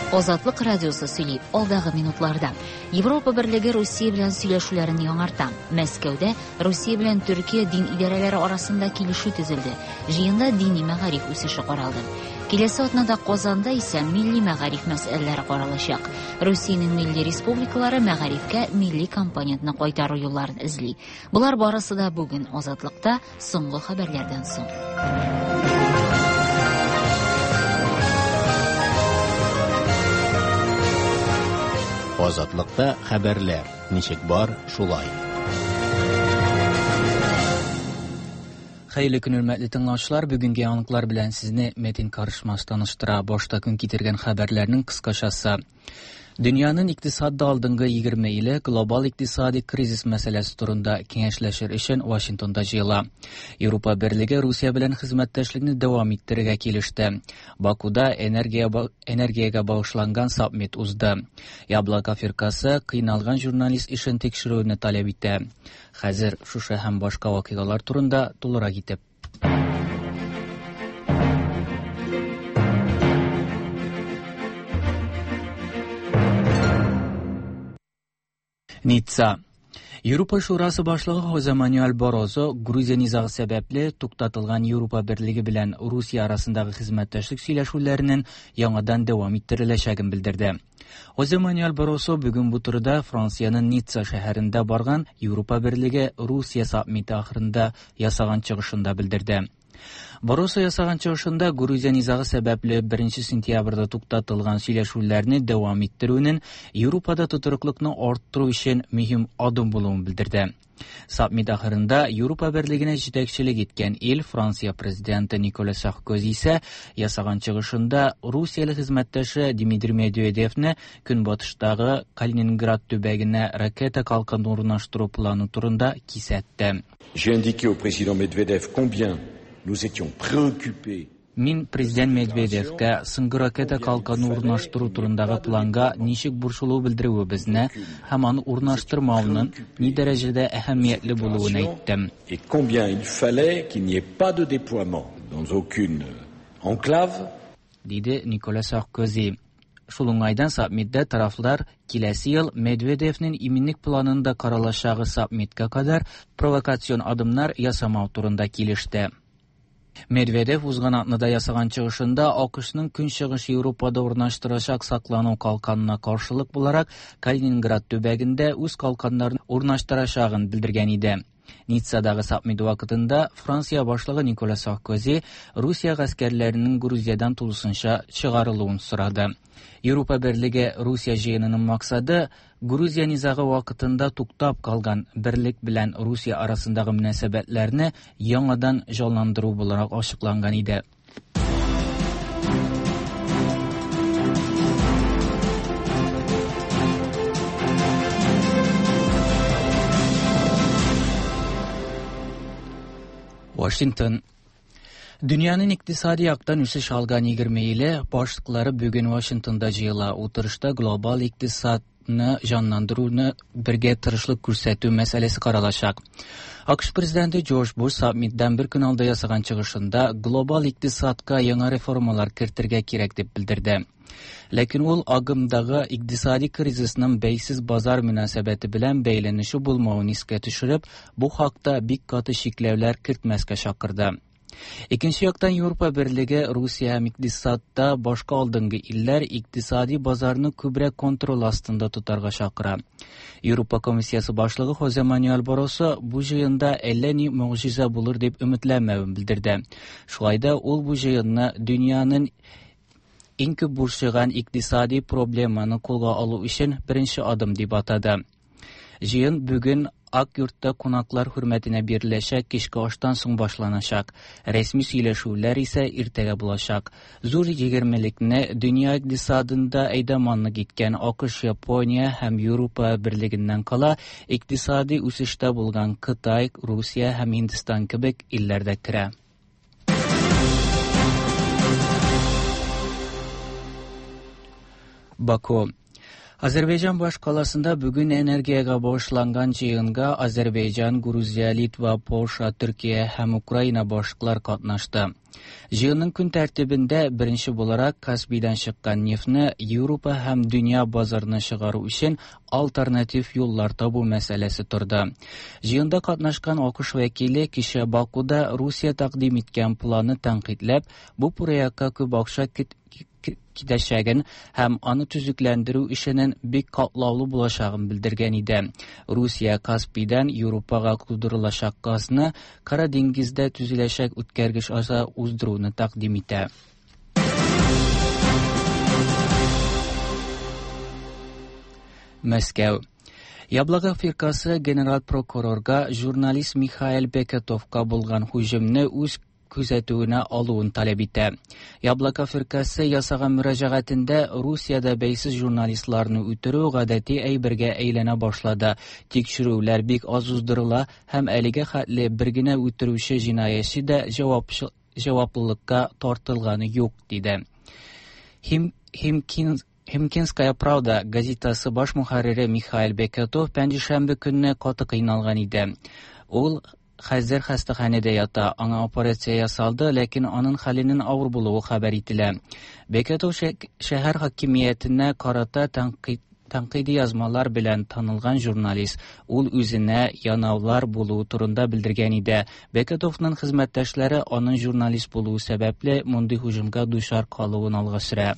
Азатлык радиосы сөйли алдагы минутларда. Европа берлеге Русия белән сөйләшүләрен яңарта. Мәскәүдә Русия белән Төркия дин идарәләре арасында килешү төзелде. Җыенда дини мәгариф үсеше каралды. Киләсе атнада Казанда исә милли мәгариф мәсьәләләре каралачак. Русиянең милли республикалары мәгарифкә милли компонентны кайтару юлларын эзли. Болар барысы да бүген Азатлыкта соңгы хәбәрләрдән соң. Азатлыкта хәбәрләр ничек бар, шулай. Хәерле көн, хөрмәтле тыңлаучылар. Бүгенге яңалыклар белән сезне Метин Карышмас таныштыра. Башта көн китергән хәбәрләрнең кыскачасы. Дөньяның икътисадда алдынгы 20 иле глобал икътисади кризис мәсьәләсе турында киңәшләшер өчен Вашингтонда җыела. Европа берлеге Русия белән хезмәттәшлекне дәвам иттерергә килеште. Бакуда энергия энергиягә багышланган саммит узды. Яблоко фиркасы кыйналган журналист эшен тикшерүне таләп итә. Хәзер шушы һәм башка вакыйгалар турында тулырак итеп. Ницца. Европа Шурасы башлыгы Хозе Мануэль Барозо Грузия низагы сәбәпле туктатылган Европа берлеге белән Русия арасындагы хезмәттәшлек сөйләшүләренең яңадан дәвам иттереләчәген белдерде. Хозе Мануэль Барозо бүген бу турыда Франциянең Ницца шәһәрендә барган Европа берлеге Русия саммиты ахырында ясаган чыгышында белдерде. Баросо ясаган чыгышында Грузия низагы сәбәпле 1 сентябрьдә туктатылган сөйләшүләрне дәвам иттерүнең Европада тотрыклыкны арттыру өчен мөһим адым булуын белдерде. Саммит ахырында Европа берлегенә җитәкчелек иткән ил Франция президенты Николя Саркози исә ясаган чыгышында русияле хезмәттәше Дмитрий Медведевне Көнбатыштагы Калининград төбәгенә ракета калканы урнаштыру планы турында кисәтте. J'ai indiqué au président Medvedev combien nous étions préoccupés Мин президент Медведевкә соңгы ракета калканы урнаштыру турындагы планга ничек борчылу белдерүебезне һәм аны урнаштырмауның ни дәрәҗәдә әһәмиятле булуын әйттем. Et combien il fallait qu'il n'y ait pas de déploiement dans aucune enclave. Диде Николя Саркози. Шул уңайдан саммитта тарафлар киләсе ел Медведевнең иминлек планында каралачагы саммитка кадәр провокацион адымнар ясамау турында килеште. Медведев узган атнада ясаган чыгышында АКШның Көнчыгыш Европада урнаштырачак саклану калканына каршылык буларак Калининград төбәгендә үз калканнарын урнаштырачагын белдергән иде. Ниццадагы саммит вакытында Франция башлыгы Николя Саркози Русия гаскәрләренең Грузиядән тулысынча чыгарылуын сорады. Европа берлеге Русия җыенының максаты Грузия низагы вакытында туктап калган берлек белән Русия арасындагы мөнәсәбәтләрне яңадан җанландыру буларак ачыкланган иде. Вашингтон. Дөньяның икътисади яктан үсеш алган 20 иле башлыклары бүген Вашингтонда җыела. Утырышта глобал икътисадны җанландыруны бергә тырышлык күрсәтү мәсьәләсе каралачак. АКШ президенты Джордж Буш саммиттан бер көн алда ясаган чыгышында глобал икътисадка яңа реформалар кертергә кирәк дип белдерде. Ләкин ул агымдагы икътисади кризисның бәйсез базар мөнәсәбәте белән бәйләнеше булмавын искә төшереп, бу хакта бик каты чикләүләр кертмәскә чакырды. Икенче яктан Европа берлеге Русия һәм икътисадта башка алдынгы илләр икътисади базарны күбрәк контроль астында тотарга чакыра. Европа комиссиясе башлыгы Хозе Мануэль Барросо бу җыенда әллә ни могҗиза булыр дип өметләнмәвен белдерде. Шулай да ул бу җыенны дөньяның иң күп борчыган икътисади проблеманы кулга алу өчен беренче адым дип атады. Җыен бүген Ак йортта кунаклар хөрмәтенә биреләчәк кичке аштан соң башланачак. Рәсми сөйләшүләр исә иртәгә булачак. Зур егермелекне дөнья икътисадында әйдәманлык иткән АКШ, Япония һәм Европа берлегеннән кала икътисади үсештә булган Кытай, Русия һәм Һиндстан кебек илләр дә керә. Баку. Азәрбайҗан башкаласында бүген энергиягә багышланган җыенга Азәрбайҗан, Грузия, Литва, Польша, Төркия һәм Украина башлыклар катнашты. Җыенның көн тәртибендә беренче буларак Каспийдан чыккан нефтьне Европа һәм дөнья базарына чыгару өчен альтернатив юллар табу мәсьәләсе торды. Җыенда катнашкан АКШ вәкиле кичә Бакуда Русия тәкъдим иткән планны тәнкыйтьләп, бу проектка күп акча китәчәген һәм аны төзекләндерү эшенең бик катлаулы булачагын белдергән иде. Русия Каспийдан Европага кудырылачак газны Кара диңгездә төзеләчәк үткәргеч аша уздыруны тәкъдим итә. Мәскәү. Яблоко фиркасы генераль прокурорга журналист Михаил Бекетовка булган һөҗүмне үз күзәтүенә алуын таләп итә. Яблоко фиркасе ясаган мөрәҗәгатендә Русиядә бәйсез журналистларны үтерү гадәти әйбергә әйләнә башлады. Тикшерүләр бик аз уздырыла һәм әлегә хәтле бер генә үтерүче җинаятьче дә җаваплылыкка тартылганы юк, диде. Химкинская правда газетасы баш мөхәррире Михаил Бекетов пәнҗешәмбе көнне каты кыйналган иде. Ул хәзер хастаханәдә ята. Аңа операция ясалды, ләкин аның хәленең авыр булуы хәбәр ителә. Бекетов шәһәр хакимиятенә карата тәнкыйди язмалар белән танылган журналист. Ул үзенә янаулар булуы турында белдергән иде. Бекетовның хезмәттәшләре аның журналист булуы сәбәпле мондый һөҗүмгә дучар калуын алга сөрә.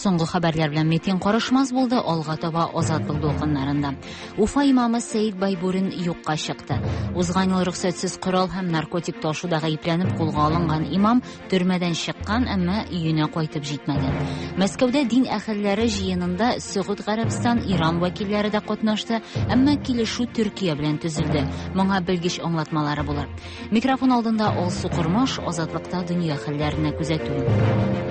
Соңгы хәбәрләр белән Метин Карышмас булды, алга таба Азатлык дулкыннарында. Уфа имамы Сәид Байбурин юкка чыкты. Узган ел рөхсәтсез корал һәм наркотик ташуда гаепләнеп кулга алынган имам төрмәдән чыккан, әмма өенә кайтып җитмәгән. Мәскәүдә дин әһелләре җыенында Сөгуд Гарәбстан, Иран вәкилләре дә катнашты, әмма килешү Төркия белән төзелде. Моңа белгеч аңлатмалары булыр. Микрофон алдында Алсу Кормаш, Азатлыкта дөнья хәлләренә күзәтү.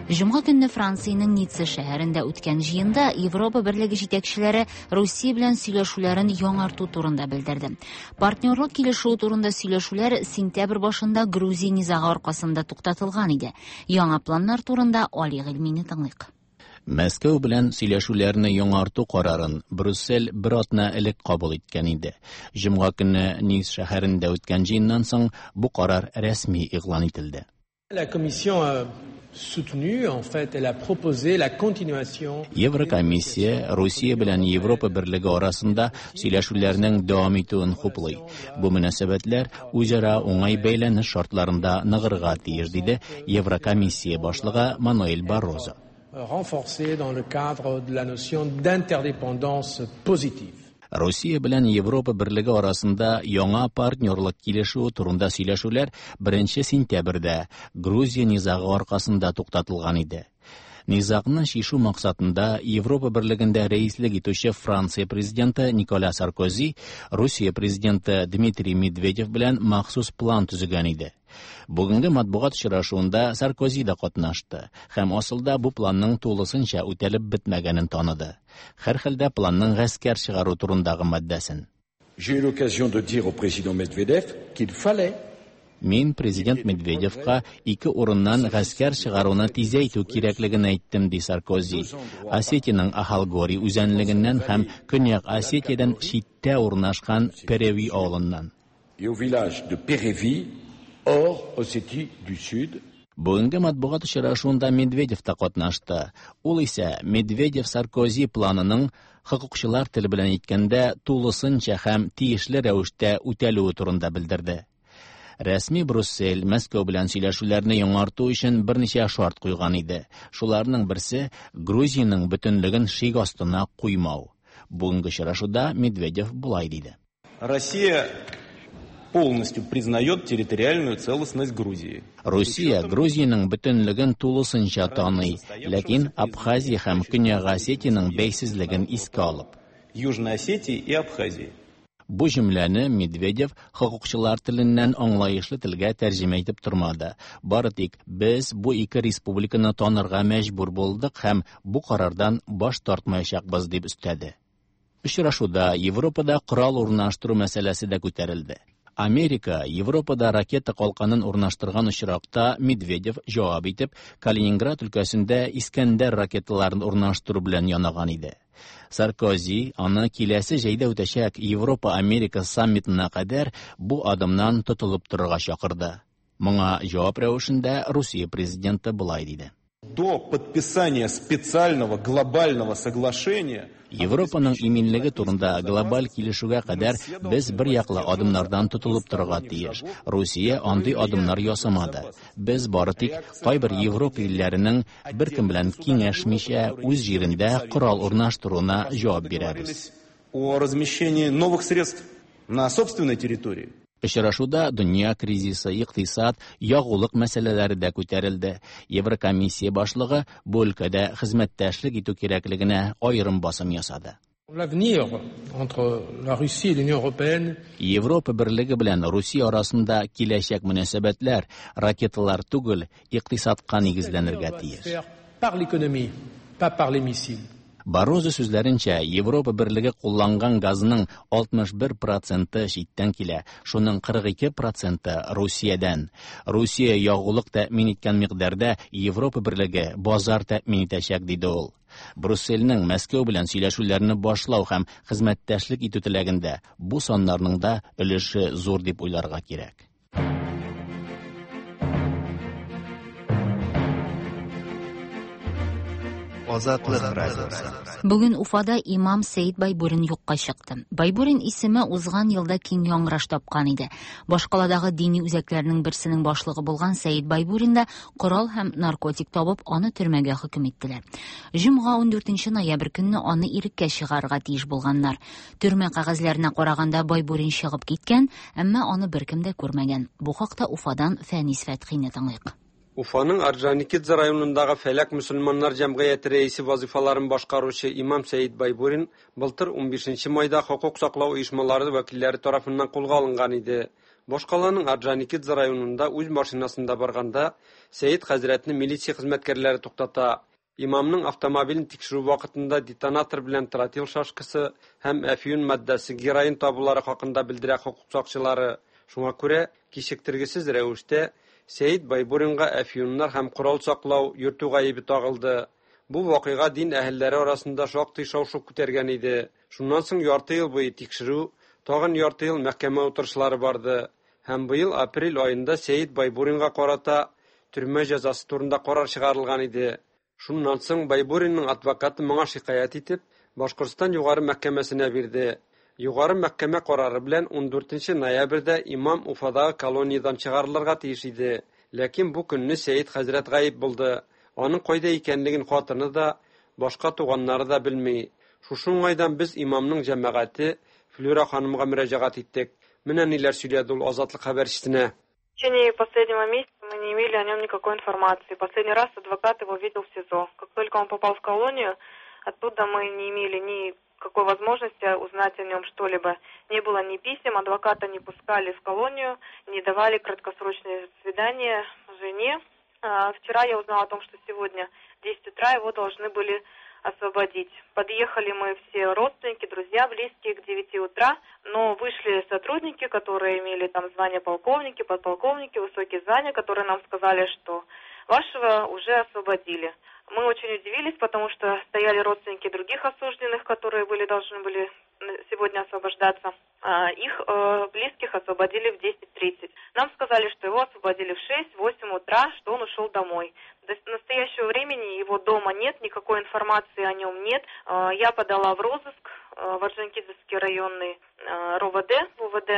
Җомга көнне Франциянең Ницца шәһәрендә үткән җыенда Европа Берлеге җитәкчеләре Русия белән сөйләшүләрен яңарту турында белдерде. Партнерлык килешүе турында сөйләшүләр сентябрь башында Грузия низагы аркасында туктатылган иде. Яңа планнар турында Али Гыйльмине тыңлыйк. Мәскәү белән сөйләшүләрне яңарту карарын Брюссель бер атна элек кабул иткән иде. Җомга көнне Ниц шәһәрендә үткән җыеннан соң бу карар рәсми игълан ителде. La Commission a soutenu, en fait, elle a proposé la continuation. Еврокомиссия Русия белән Европа Берлеге арасында сөйләшүләрнең дәвам итүен хуплый. Бу мөнәсәбәтләр үзара уңай бәйләнеш шартларында ныгырга тиеш, диде Еврокомиссия башлыгы Мануэль Баррозо. Renforcée dans le cadre de la notion d'interdépendance positive. Русия белән Европа Берлеге арасында яңа партнерлык килешүе турында сөйләшүләр 1 сентябрьдә Грузия низагы аркасында туктатылган иде. Низагны чишү максатында Европа Берлегендә рәислек итүче Франция президенты Николя Саркози Русия президенты Дмитрий Медведев белән махсус план төзегән иде. Бүгенге матбугат очрашуында Саркози да катнашты һәм асылда бу планның тулысынча үтәлеп бетмәгәнен таныды. Һәрхәлдә планның гаскәр чыгару турындагы маддәсен. J'ai eu l'occasion de dire au président Medvedev qu'il fallait Мин президент Медведевка ике урыннан гаскәр чыгаруны тизәйтү кирәклеген әйттем, ди Саркози. Осетиянең Ахалгори үзәнлегеннән һәм Көньяк Осетиядән читтә урнашкан Переви авылыннан. Et au village de Pérévi, hors Ossétie du Sud. Бүгенге матбугат очрашуында Медведев та катнашты. Ул исә Медведев-Саркози планының хокукчылар теле белән әйткәндә тулысынча һәм тиешле рәвештә үтәлүе турында белдерде. Рәсми Брюссель Мәскәү белән сөйләшүләрне яңарту өчен берничә шарт куйган иде. Шуларның берсе Грузиянең бөтенлеген шик астына куймау. Бүгенге очрашуда Медведев болай диде. Россия полностью признает территориальную целостность Грузии. Русия Грузиянең бөтенлеген тулысынча таный, ләкин Абхазия һәм Көньяк Осетиянең бәйсезлеген искә алып. Южной Осетии и Абхазии. Бу җөмләне Медведев хокукчылар теленнән аңлаешлы телгә тәрҗемә итеп тормады. Бары тик без бу ике республиканы танырга мәҗбүр булдык һәм бу карардан баш тартмаячакбыз дип өстәде. Очрашуда Европада корал урнаштыру мәсьәләсе дә күтәрелде. Америка Европада ракета калканын урнаштырган очракта Медведев җавап итеп Калининград өлкәсендә Искәндәр ракеталарын урнаштыру белән янаган иде. Саркози аны киләсе җәйдә үтәчәк Европа-Америка саммитына кадәр бу адымнан тотылып торырга чакырды. Моңа җавап рәвешендә Русия президенты болай диде. До подписания специального глобального соглашения Европаның иминлеге турында глобаль килешүгә кадәр без бер яклы адымнардан тотылып торырга тиеш. Русия андый адымнар ясамады. Без бары тик кайбер Европа илләренең беркем белән киңәшмичә үз җирендә корал урнаштыруына җавап бирәбез. О размещении новых средств на собственной территории. Очрашуда дөнья кризисы, икътисад, ягулык мәсьәләләре дә күтәрелде. Еврокомиссия башлыгы бу өлкәдә хезмәттәшлек итү кирәклегенә аерым басым ясады. L'avenir entre la Russie et l'Union européenne Европа берлеге белән Русия арасында киләчәк мөнәсәбәтләр ракеталар түгел, икътисадка нигезләнергә тиеш. Par l'économie, pas par les missiles. Барозо сүзләренчә, Европа берлеге кулланган газның 61% читтән килә, шуның 42% Русиядән. Русия ягулык тәэмин иткән микъдарда Европа берлеге базар тәэмин итәчәк, диде ул. Брюссельнең Мәскәү белән сөйләшүләрне башлау һәм хезмәттәшлек итү теләгендә бу саннарның да өлеше зур дип уйларга кирәк. Азатлык радиосы. Бүген Уфада имам Сәид Байбурин юкка чыкты. Байбурин исеме узган елда киң яңгыраш тапкан иде. Башкаладагы дини үзәкләрнең берсенең башлыгы булган Сәид Байбурин да корал һәм наркотик табып, аны төрмәгә хөкем иттеләр. Җомга 14 ноябрь көнне аны иреккә чыгарырга тиеш булганнар. Төрмә кәгазьләренә караганда Байбурин чыгып киткән, әмма аны беркем дә күрмәгән. Бу хакта Уфадан Фәнис Фәтхине тыңлыйк. Уфаның Орджоникидзе районындагы Фәләк мөселманнар җәмгыяте рәисе вазифаларын башкаручы имам Сәид Байбурин былтыр 15 майда хокук саклау оешмалары вәкилләре тарафыннан кулга алынган иде. Башкаланың Орджоникидзе районында үз машинасында барганда Сәид хәзрәтне милиция хезмәткәрләре туктата. Имамның автомобилен тикшерү вакытында детонатор белән тротил шашкасы һәм әфьюн матдәсе героин табулары хакында белдерә хокук сакчылары. Шуңа күрә кичектергесез рәвештә Сәид Байбуринга әфьюннар һәм корал саклау, йөртү гаебе тагылды. Бу вакыйга дин әһелләре арасында шактый шау-шу күтәргән иде. Шуннан соң ярты ел буе тикшерү, тагын ярты ел мәхкәмә утырышлары барды. Һәм быел апрель аенда Сәид Байбуринга карата төрмә җәзасы турында карар чыгарылган иде. Шуннан соң Байбуринның адвокаты моңа шикаять итеп, Башкортстан югары мәхкәмәсенә бирде. Югары мәхкәмә карары белән 14 ноябрьдә имам Уфадагы колониядән чыгарылырга тиеш иде. Ләкин бу көнне Сәид хәзрәт гаип булды. Аның кайда икәнлеген хатыны да, башка туганнары да белми. Шушы уңайдан без имамның җәмәгате Флюра ханымга мөрәҗәгать иттек. Менә ниләр сөйләде ул Азатлык хәбәрчесенә. В течение последнего месяца мы не имели о нем никакой информации. Последний раз адвокат его видел в СИЗО. Как только он попал в колонию, оттуда мы не имели ни какой возможности узнать о нем что-либо. Не было ни писем, адвоката не пускали в колонию, не давали краткосрочные свидания жене. Вчера я узнала о том, что сегодня в 10 утра его должны были освободить. Подъехали мы все родственники, друзья, близкие к 9 утра, но вышли сотрудники, которые имели там звание полковники, подполковники, высокие звания, которые нам сказали, что вашего уже освободили. Мы очень удивились, потому что стояли родственники других осужденных, которые должны были сегодня освобождаться. Их близких освободили в 10:30. Нам сказали, что его освободили в 6-8 утра, что он ушел домой. До настоящего времени его дома нет, никакой информации о нем нет. Я подала в розыск в Орджоникидзевский районный РОВД, УВД,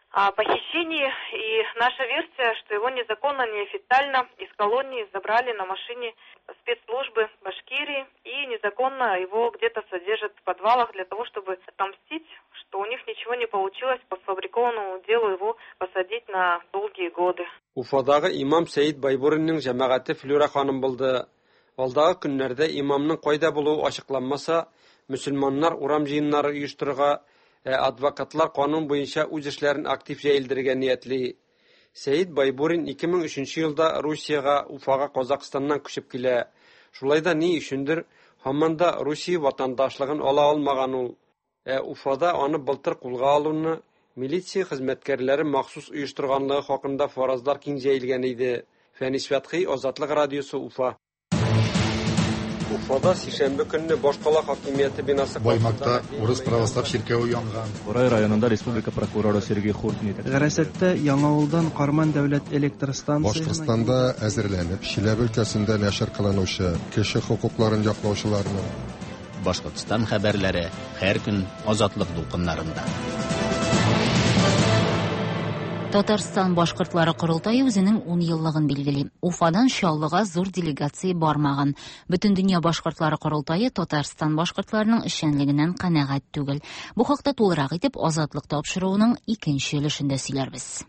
о похищении, и наша версия, что его незаконно, неофициально из колонии забрали на машине спецслужбы Башкирии и незаконно его где-то содержат в подвалах для того, чтобы отомстить, что у них ничего не получилось по сфабрикованному делу его посадить на долгие годы. Уфадагы имам Сәид Байбуринның җәмәгате Флюра ханым булды. Алдагы көннәрдә имамның кайда булуы ачыкланмаса, мөселманнар урам җыеннары оештырырга, Ә адвокатлар канун буенча үз эшләрен актив җәелдерергә ниятли. Сәет Байбурин 2003 елда Русиягә, Уфага Казакъстаннан күчеп килә. Шулай да ни өчендер һаман да Русия ватандашлыгын ала алмаган ул. Ә Уфада аны былтыр кулга алуны милиция хезмәткәрләре махсус оештырганлыгы хакында фаразлар киң җәелгән иде. Фәнис Фәтхи, Азатлык радиосы, Уфа. Уфада сишәмбе көнне башкала хакимияте бинасы Баймакта урыс православ чиркәве янган. Бурай районында республика прокуроры Сергей Хуртин Гарәсәттә Яңавылдан Карман дәүләт электр станциясенә Башкортстанда әзерләнеп, Чиләбе өлкәсендә нәшер кылынучы кеше хокукларын яклаучыларның Башкортстан хәбәрләре һәр көн Азатлык дулкыннарында. Татарстан башкортлары корылтае үзенең 10 еллыгын билгели. Уфадан Чаллыга зур делегация бармаган. Бөтендөнья башкортлары корылтае Татарстан башкортларының эшчәнлегеннән канәгать түгел. Бу хакта тулырак итеп Азатлык тапшыруының икенче өлешендә сөйләрбез.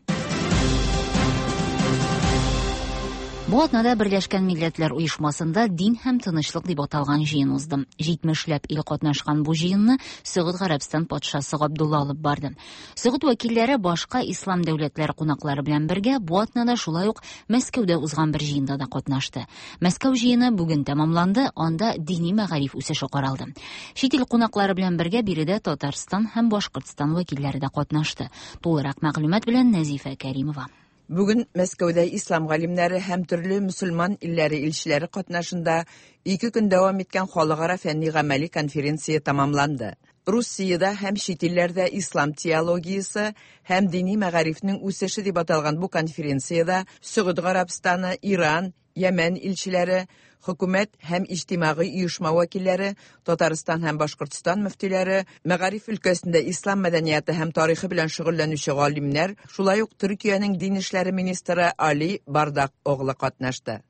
Бу атнада Берләшкән Милләтләр Оешмасында дин һәм тынычлык дип аталган җыен узды. 70ләп ил катнашкан бу җыенны Сөгуд Гарәбстан патшасы Габдулла алып барды. Сөгуд вәкилләре башка ислам дәүләтләре кунаклары белән бергә бу атнада шулай ук Мәскәүдә узган бер җыенда да катнашты. Мәскәү җыены бүген тәмамланды, анда дини мәгариф үсеше каралды. Чит ил кунаклары белән бергә биредә Татарстан һәм Башкортстан вәкилләре дә катнашты. Тулырак мәгълүмат белән Нәзифә Кәримова. Бүген Мәскәүдә ислам галимнәре һәм төрле мөселман илләре илчеләре катнашында 2 көн дәвам иткән халыкара фәнни гамәли конференция тәмамланды. Русиядә һәм чит илләрдә ислам теологиясе һәм дини мәгарифнең үсеше дип аталган бу конференциядә Сөгуд Гарәбстаны, Иран, Йәмән илчеләре, хөкүмәт һәм иҗтимагый оешма вәкилләре, Татарстан һәм Башкортстан мөфтиләре, мәгариф өлкәсендә ислам мәдәнияте һәм тарихы белән шөгыльләнүче галимнәр, шулай ук Төркиянең дин эшләре министры Али Бардак оглы катнашты.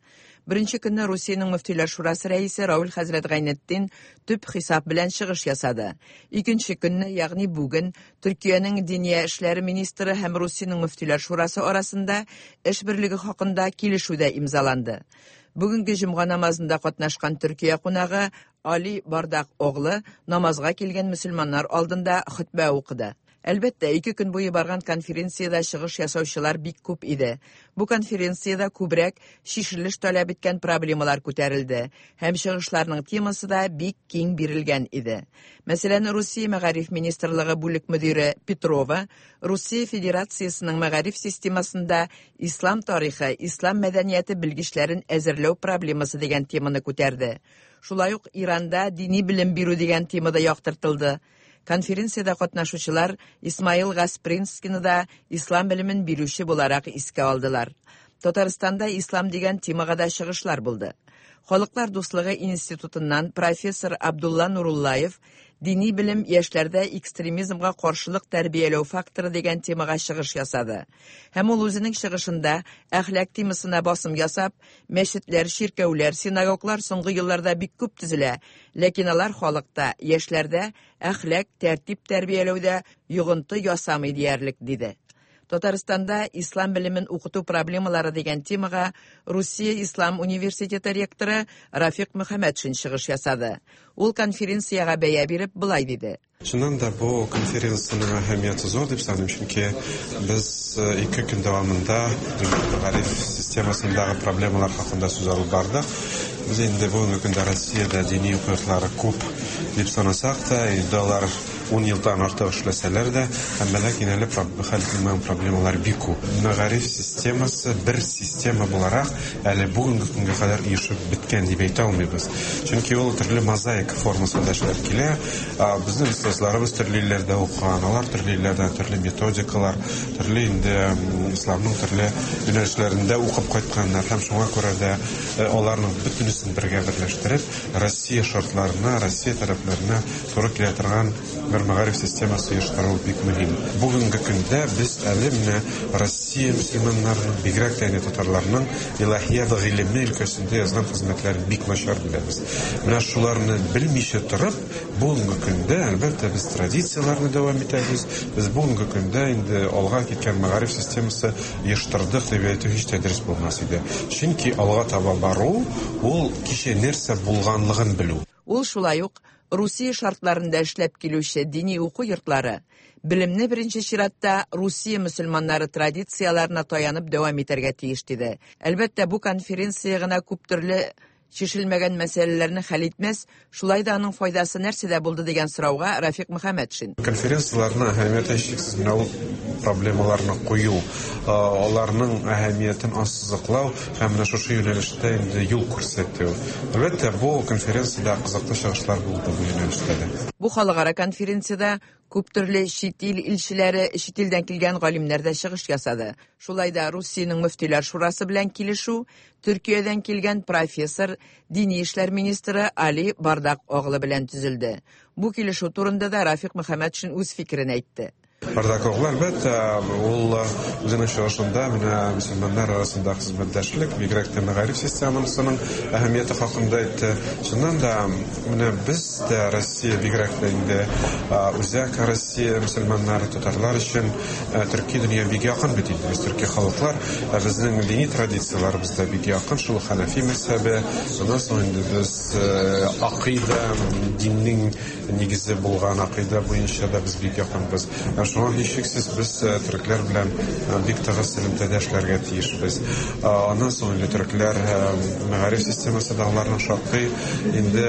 Беренче көнне Русиянең мөфтиләр шурасы рәисе Рауль хәзрәт Гайнетдин төп хисап белән чыгыш ясады. Икенче көнне, ягъни бүген, Төркиянең диния эшләре министры һәм Русиянең мөфтиләр шурасы арасында эш берлеге хакында килешү дә имзаланды. Бүгенге җомга намазында катнашкан Төркия кунагы Али Бардак оглы намазга килгән мөселманнар алдында хөтбә укыды. Әлбәттә, 2 көн буе барган конференциядә чыгыш ясаучылар бик күп иде. Бу конференциядә күбрәк чишелеш таләп иткән проблемалар күтәрелде һәм чыгышларның темасы да бик киң бирелгән иде. Мәсәлән, Русия мәгариф министрлыгы бүлек мөдире Петрова Русия Федерациясының мәгариф системасында ислам тарихы, ислам мәдәнияте белгечләрен әзерләү проблемасы дигән теманы күтәрде. Шулай ук Иранда дини белем бирү дигән темада яктыртылды. Конференциядә катнашучылар Исмаил Гаспринскийны да ислам белемен бирүче буларак искә алдылар. Татарстанда ислам дигән темага да чыгышлар булды. Халыклар дуслыгы институтыннан профессор Абдулла Нуруллаев дини белем яшьләрдә экстремизмга каршылык тәрбияләү факторы дигән темага чыгыш ясады. Һәм ул үзенең чыгышында әхлак темасына басым ясап, мәчетләр, чиркәүләр, синагоглар соңгы елларда бик күп төзелә, ләкин алар халыкта, яшьләрдә әхлак, тәртип тәрбияләүдә йогынты ясамый диярлек, диде. Татарстанда ислам белемен укыту проблемалары дигән темага Русия Ислам университеты ректоры Рафик Мөхәммәтшин чыгыш ясады. Ул конференциягә бәя биреп былай диде. Чыннан да бу конференциянең әһәмияте зур дип саныйм, чөнки без 2 көн дәвамында мәгариф системасындагы проблемалар хакында сүз алып бардык. Без инде бүгенге көндә Россиядә дини уку йортлары күп дип санасак та, инде алар 10 елдан артык эшләсәләр дә, әмма ләкин әле хәл ителмәгән проблемалар бик күп. Мәгариф системасы бер система буларак әле бүгенге көнгә кадәр оешып беткән дип әйтә алмыйбыз. Чөнки ул төрле мозаика формасында эшләп килә. Безнең остазларыбыз төрле илләрдә укыган, алар төрле илләрдән төрле методикалар, төрле инде исламның төрле юнәлешләрендә укып кайтканнар һәм шуңа күрә дә аларның бөтенесен бергә берләштереп, Россия шартларына, Россия таләпләренә туры килә торган бер мәгариф системасы оештыру бик мөһим. Бүгенге көндә без әле менә Россия мөселманнарының, бигрәк тә инде татарларның илаһият гыйлеме өлкәсендә язган хезмәтләрен бик начар беләбез. Менә шуларны белмичә торып, бүгенге көндә, әлбәттә, без традицияләрне дәвам итәбез. Без бүгенге көндә инде алга киткән мәгариф системасы оештырдык дип әйтү һич тә дөрес булмас иде. Чөнки алга таба бару ул кичә нәрсә булганлыгын белү. Ул шулай ук Русия шартларында эшләп килүче дини уку йортлары белемне беренче чиратта Русия мөселманнары традицияләренә таянып дәвам итәргә тиеш диде. Әлбәттә, бу конференция гына күп төрле чишелмәгән мәсьәләләрне хәл итмәс, шулай да аның файдасы нәрсәдә булды дигән сорауга Рафик Мөхәммәтшин. Конференцияләрнең әһәмияте һичшиксез менә ул проблемаларны кую, аларның әһәмиятен ассызыклау һәм менә шушы юнәлештә инде юл күрсәтү. Әлбәттә, бу конференциядә кызыклы чыгышлар булды бу юнәлештә дә. Бу халыкара конференциядә күп төрле чит ил илчеләре, чит илдән килгән галимнәр дә чыгыш ясады. Шулай да Русиянең мөфтиләр шурасы белән килешү Төркиядән килгән профессор, дини эшләр министры Али Бардак оглы белән төзелде. Бу килешү турында да Рафик Мөхәммәтшин үз фикерен әйтте. Бардак оглы, әлбәттә, ул үзенең чыгышында менә мөселманнар арасында хезмәттәшлек, бигрәк тә мәгариф системасының әһәмияте хакында әйтте. Чыннан да, менә без дә Россия бигрәк тә инде үзәк Россия мөселманнары, татарлар өчен төрки дөнья бик якын бит инде. Без төрки халыклар, безнең дини традицияләребез дә бик якын, шул Ханафи мәзһәбе. Аннан соң инде без акыйда, диннең нигезе булган акыйда буенча да без бик якынбыз. Шуңа һичшиксез без төрекләр белән бик тыгыз элемтәдә эшләргә тиешбез. Аннан соң инде төрекләр мәгариф системасы да аларның шактый инде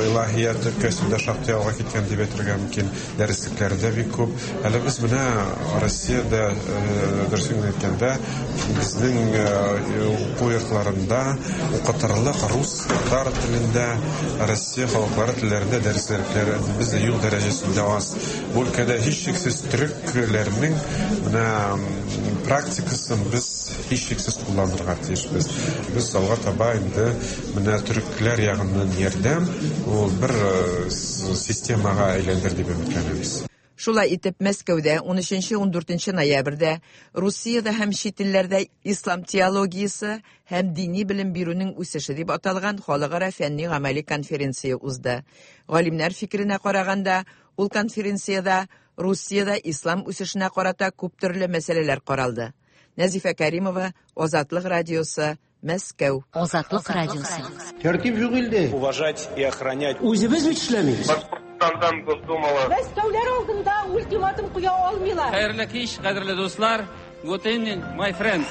илаһият өлкәсендә шактый алга киткән дип әйтергә мөмкин. Дәреслекләре дә бик күп. Әле без менә Россиядә, дөресен генә әйткәндә, безнең уку йортларында укытырлык рус, татар телендә, Россия халыклары телләрендә дәреслекләр бездә юк дәрәҗәсендә аз. Бу өлкәдә һичшиксез төрекләрнең менә практикасын без һичшиксез кулланырга тиешбез. Без алга таба инде менә төрекләр ягыннан ярдәм ул бер системага әйләндер дип өметләнәбез. Шулай итеп, Мәскәүдә 13-14 ноябрьдә Русиядә һәм чит илләрдә ислам теологиясе һәм дини белем бирүнең үсеше дип аталган халыкара фәнни-гамәли конференция узды. Галимнәр фикеренә караганда, ул конференциядә Русиядә ислам үсешенә карата күп төрле мәсьәләләр каралды. Нәзифә Кәримова, Азатлык радиосы, Мәскәү. Азатлык радиосы. Тәртип юк илдә. Уважать и охранять. Үзебез бит эшләмибез. Башкортстандан Госдумалы. Мәскәүләр алдында ультиматум куя алмыйлар. Хәерле кич, кадерле дуслар. Good evening, my friends.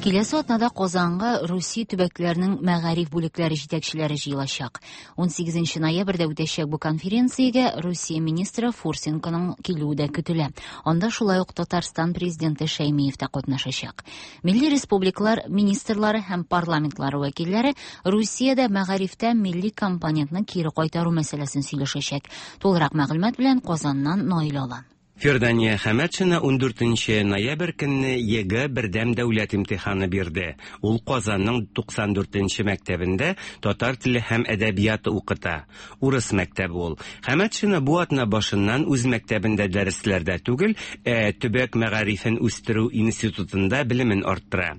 Киләсе атнада Казанга Русия төбәкләренең мәгариф бүлекләре җитәкчеләре җыелачак. 18 ноябрьдә үтәчәк бу конференциягә Русия министры Фурсенконың килүе дә көтелә. Анда шулай ук Татарстан президенты Шәймиев тә катнашачак. Милли республикалар министрлары һәм парламентлары вәкилләре Русиядә мәгарифтә милли компонентны кире кайтару мәсьәләсен сөйләшәчәк. Тулырак мәгълүмат белән Казаннан Наил Алан. Фирдания Хәмәтшина 14 ноябрь көнне ЕГЭ бердәм дәүләт имтиханы бирде. Ул Казанның 94 мәктәбендә татар теле һәм әдәбияты укыта. Урыс мәктәбе ул. Хәмәтшина бу атна башыннан үз мәктәбендә дәресләрдә түгел, ә төбәк мәгарифен үстерү институтында белемен арттыра.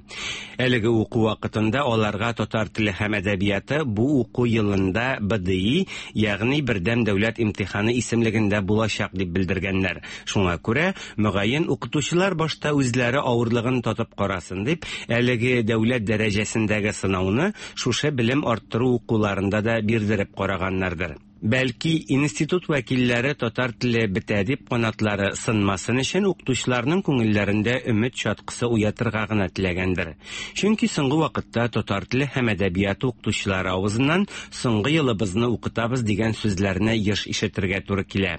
Әлеге уку вакытында аларга татар теле һәм әдәбияты бу уку елында БДИ, ягъни бердәм дәүләт имтиханы исемлегендә булачак дип белдергәннәр. Шуңа күрә, мөгаен укытучылар башта үзләре авырлыгын татып карасын дип, әлеге дәүләт дәрәҗәсендәге сынауны шушы белем арттыру укуларында да бирдереп караганнардыр. Бәлки институт вәкилләре татар теле бетә дип канатлары сынмасын өчен укытучыларның күңелләрендә өмет чаткысы уятырга гына теләгәндер. Чөнки соңгы вакытта татар теле һәм әдәбияты укытучылары авызыннан соңгы елыбызны укытабыз дигән сүзләрне еш ишетергә туры килә.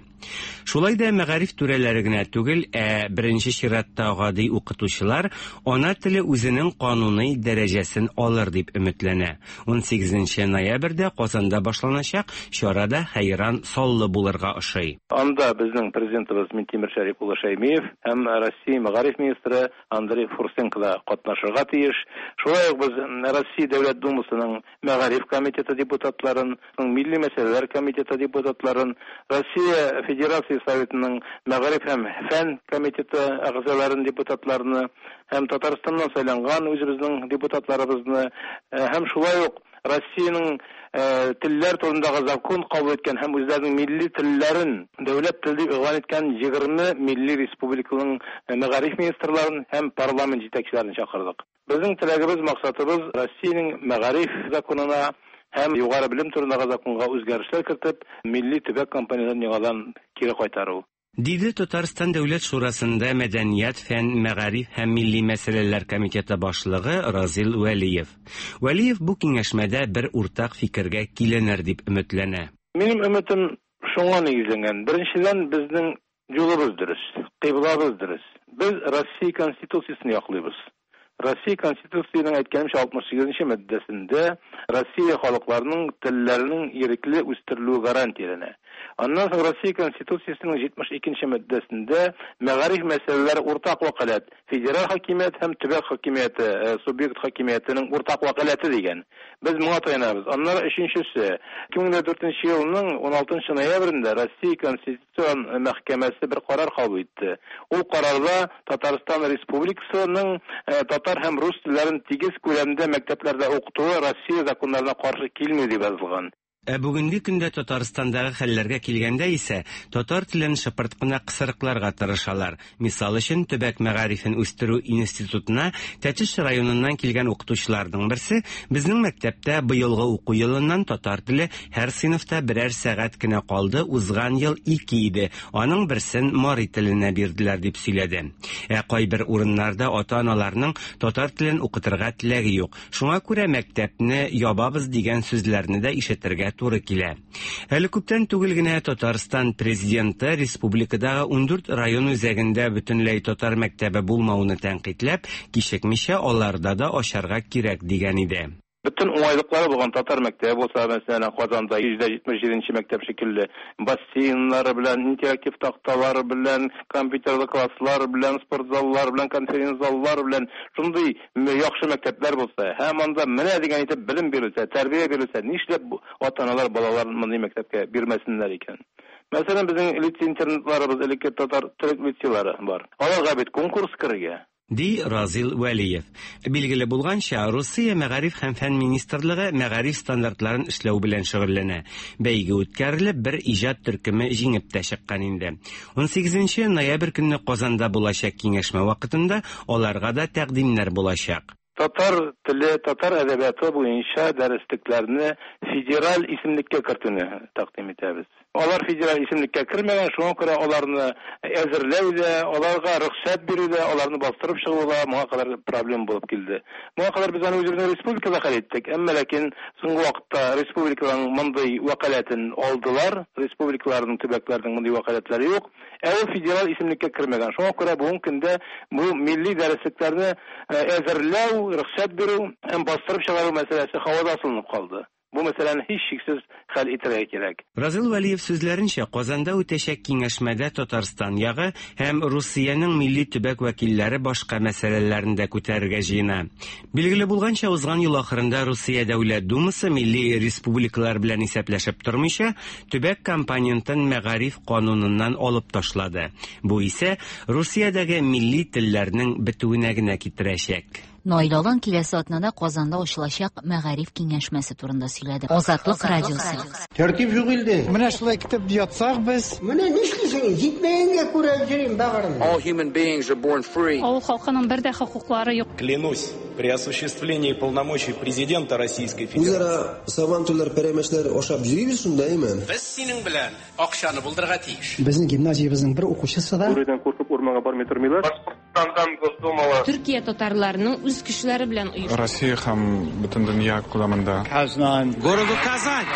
Шулай да мәгариф түрәләре генә түгел, ә беренче чиратта гади укытучылар ана теле үзенең кануни дәрәҗәсен алыр дип өметләнә. 18 ноябрьдә Казанда башланачак чарада хәйран саллы булырга ошый. Анда безнең президентыбыз Минтимер Шәрип улы Шәймиев һәм Россия мәгариф министры Андрей Фурсенко да катнашырга тиеш. Шулай ук без Россия Дәүләт Думасының мәгариф комитеты депутатларын, Милли мәсьәләләр комитеты депутатларын, Россия Федерация Советының мәгариф һәм фән комитеты әгъзаларын, депутатларны һәм Татарстаннан сайланган үзебезнең депутатларыбызны һәм шулай ук Россиянең телләр турындагы закон кабул иткән һәм үзләренең милли телләрен дәүләт теле дип игълан иткән 20 милли республиканың мәгариф министрларын һәм парламент җитәкчеләрен чакырдык. Безнең теләгебез, максатыбыз Россиянең мәгариф законына һәм югары белем турындагы законга үзгәрешләр кертеп, милли төбәк компонентын яңадан кире кайтару. Диде Татарстан Дәүләт Шурасында Мәдәният, фән, мәгариф һәм милли мәсьәләләр комитеты башлыгы Разил Вәлиев. Вәлиев бу киңәшмәдә бер уртак фикергә киленер дип өметләнә. Минем өметем шуңа нигезләнгән. Беренчедән, безнең юлыбыз дөрес, кыйблабыз дөрес. Без Россия Конституциясен яклыйбыз. Россия Конституциясенең әйткәнемчә 68 нче маддәсендә Россия халыкларының телләренең ирекле үстерелүе гарантияләнә. Аннан соң Россия Конституциясенең 72 нче маддәсендә мәгариф мәсьәләләре уртак вәкаләт, федераль хакимият һәм төбәк хакимияте, субъект хакимиятенең уртак вәкаләте дигән. Без моңа таянабыз. Аннары өченчесе, 2004 елның 16 нчы ноябрендә Россия Конституциясе Конституцион мәхкәмәсе бер карар кабул итте. Ул карарда Татарстан Республикасының татар һәм рус телләрен тигез күләмдә мәктәпләрдә укытуы Россия законнарына каршы килми дип язылган. Ә бүгенге көндә Татарстандагы хәлләргә килгәндә исә, татар телен шыпырт кына кысрыкларга тырышалар. Мисал өчен, төбәк мәгарифен үстерү институтына Тәтеш районыннан килгән укытучыларның берсе, Безнең мәктәптә быелгы уку елыннан татар теле һәр сыйныфта берәр сәгать кенә калды, узган ел ике иде, аның берсен мари теленә бирделәр, дип сөйләде. Ә кайбер урыннарда ата-аналарның татар телен укытырга теләге юк, шуңа күрә мәктәпне ябабыз дигән сүзләрне дә ишетергә туры килә. Әле күптән түгел генә Татарстан Президенты республикадагы 14 район үзәгендә бөтенләй татар мәктәбе булмауны тәнкыйтьләп, кичекмичә аларда да ачарга кирәк дигән иде. Бөтен уңайлыклары булган татар мәктәбе булса, мәсәлән, Казанда 177 нче мәктәп шикелле, бассейннары белән, интерактив такталары белән, компьютерлы класслар белән, спортзаллар белән, конференц-заллар белән, шундый яхшы мәктәпләр булса һәм анда менә дигән итеп белем бирелсә, тәрбия бирелсә, нишләп ата-аналар балаларын мондый мәктәпкә бирмәсеннәр икән? Мәсәлән, безнең лицей-интернатларыбыз, элекке татар-төрек лицейлары бар. Аларга бит конкурс керергә. Ди Разил Вәлиев. Билгеле булганча, Русия Мәгариф һәм фән министрлыгы мәгариф стандартларын эшләү белән шөгыльләнә. Бәйге үткәрелеп, бер иҗат төркеме җиңеп тә чыккан инде. Унсигезенче ноябрь көнне Казанда булачак киңәшмә вакытында аларга да тәкъдимнәр булачак. Татар теле, татар әдәбияты буенча дәреслекләрне федераль исемлеккә кертүне тәкъдим итәбез. Алар федераль исемлеккә кермәгән, шуңа күрә аларны әзерләү дә, аларга рөхсәт бирү дә, аларны бастырып чыгу да моңа кадәр проблема булып килде. Моңа кадәр без аны үзебезнең республикада хәл иттек, әмма ләкин соңгы вакытта республиканың мондый вәкаләтен алдылар, республикаларның, төбәкләрнең мондый вәкаләтләре юк. Ә ул федераль исемлеккә кермәгән. Шуңа күрә бүгенге көндә бу милли дәреслекләрне әзерләү, рөхсәт бирү һәм бастырып чыгару мәсьәләсе һавада асылынып калды. Бу мәсьәләне һичшиксез хәл итәргә кирәк. Разил Вәлиев сүзләренчә, Казанда үтәчәк киңәшмәдә Татарстан ягы һәм Русиянең милли төбәк вәкилләре башка мәсьәләләрне дә күтәрергә җыена. Билгеле булганча, узган ел ахырында Русия Дәүләт Думасы милли республикалар белән исәпләшеп тормыйча, төбәк компонентын мәгариф кануныннан алып ташлады. Бу исә Русиядәге милли телләрнең бетүенә генә китерәчәк. Наил Алан киләсе атнада Казанда ачылачак мәгариф киңәшмәсе турында сөйләде. Азатлык радиосы. Тәртип юк илдә. Менә шулай итеп ятсак без. Менә нишлисең, җитмәгәнгә күрә йөрим бәгырем. All human beings are born free. Авыл халкының бер дә хокуклары юк. Клянусь при осуществлении полномочий президента Российской Федерации. Үзара сабантуйлар, пәрәмәчләр ашап йөрибез шунда, әйме? Без синең белән акчаны булдырырга тиеш. Безнең гимназиябезнең бер укучысы да. Бүредән куркып урманга бармый тормыйлар. Башкортстандан Госдумалы. Төркия татарларының үз көчләре белән оешкан. Россия һәм бөтен дөнья күләмендә. Казан. Городу Казань.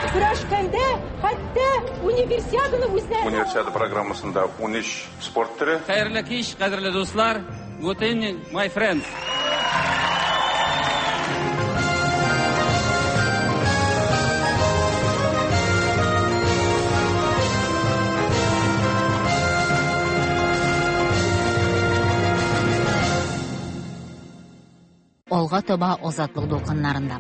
Көрәшкәндә хәтта Универсиаданы үзләре. Универсиада программасында 13 спорт төре. Хәерле кич, кадерле дуслар. Good evening, my friends. Алга таба Азатлык дулкыннарында.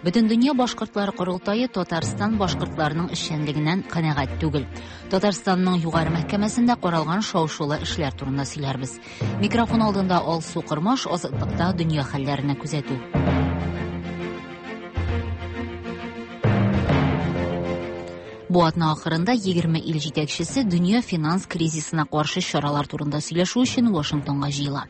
Бөтендөнья башкортлары корылтае Татарстан башкортларының эшчәнлегеннән канәгать түгел. Татарстанның югары мәхкәмәсендә каралган шау-шулы эшләр турында сөйләрбез. Микрофон алдында Алсу Кормаш, Азатлыкта дөнья хәлләренә күзәтү. Бу атна ахырында 20 ил җитәкчесе дөнья финанс кризисына каршы чаралар турында сөйләшү өчен Вашингтонга җыела.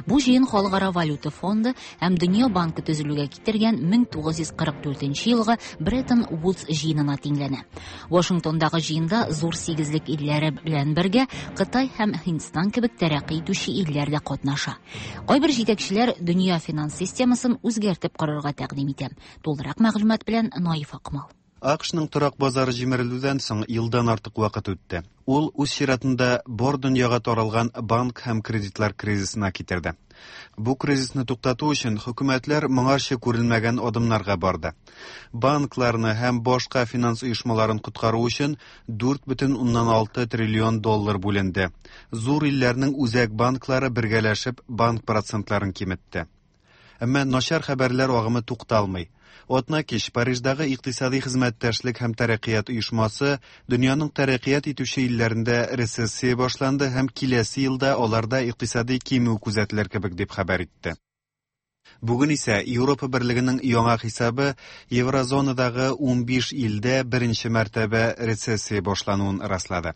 Бу җыен Халыкара валюта фонды һәм Дөнья банкы төзелүгә китергән 1944 елгы Бреттон Вудс җыенына тиңләнә. Вашингтондагы җыенда зур сигезлек илләре белән бергә Кытай һәм Һиндстан кебек тәрәккый итүче илләр дә катнаша. Кайбер җитәкчеләр дөнья финанс системасын үзгәртеп корырга тәкъдим итә. Тулырак мәгълүмат белән Наиф Акмал. АКШның торак базары җимерелүдән соң елдан артык вакыт үтте. Ул үз чиратында бар дөньяга таралган банк һәм кредитлар кризисына китерде. Бу кризисны туктату өчен хөкүмәтләр моңарчы күрелмәгән адымнарга барды. Банкларны һәм башка финанс оешмаларын коткару өчен 4,6 триллион доллар бүленде. Зур илләрнең үзәк банклары бергәләшеп банк процентларын киметте. Әмма начар хәбәрләр агымы тукталмый. Атна кич Париждагы икътисади хезмәттәшлек һәм тәрәккыят оешмасы дөньяның тәрәккыят итүче илләрендә рецессия башланды һәм киләсе елда аларда икътисади кимү күзәтелер кебек дип хәбәр итте. Бүген исә Европа берлегенең яңа хисабы еврозонадагы 15 илдә беренче мәртәбә рецессия башлануын раслады.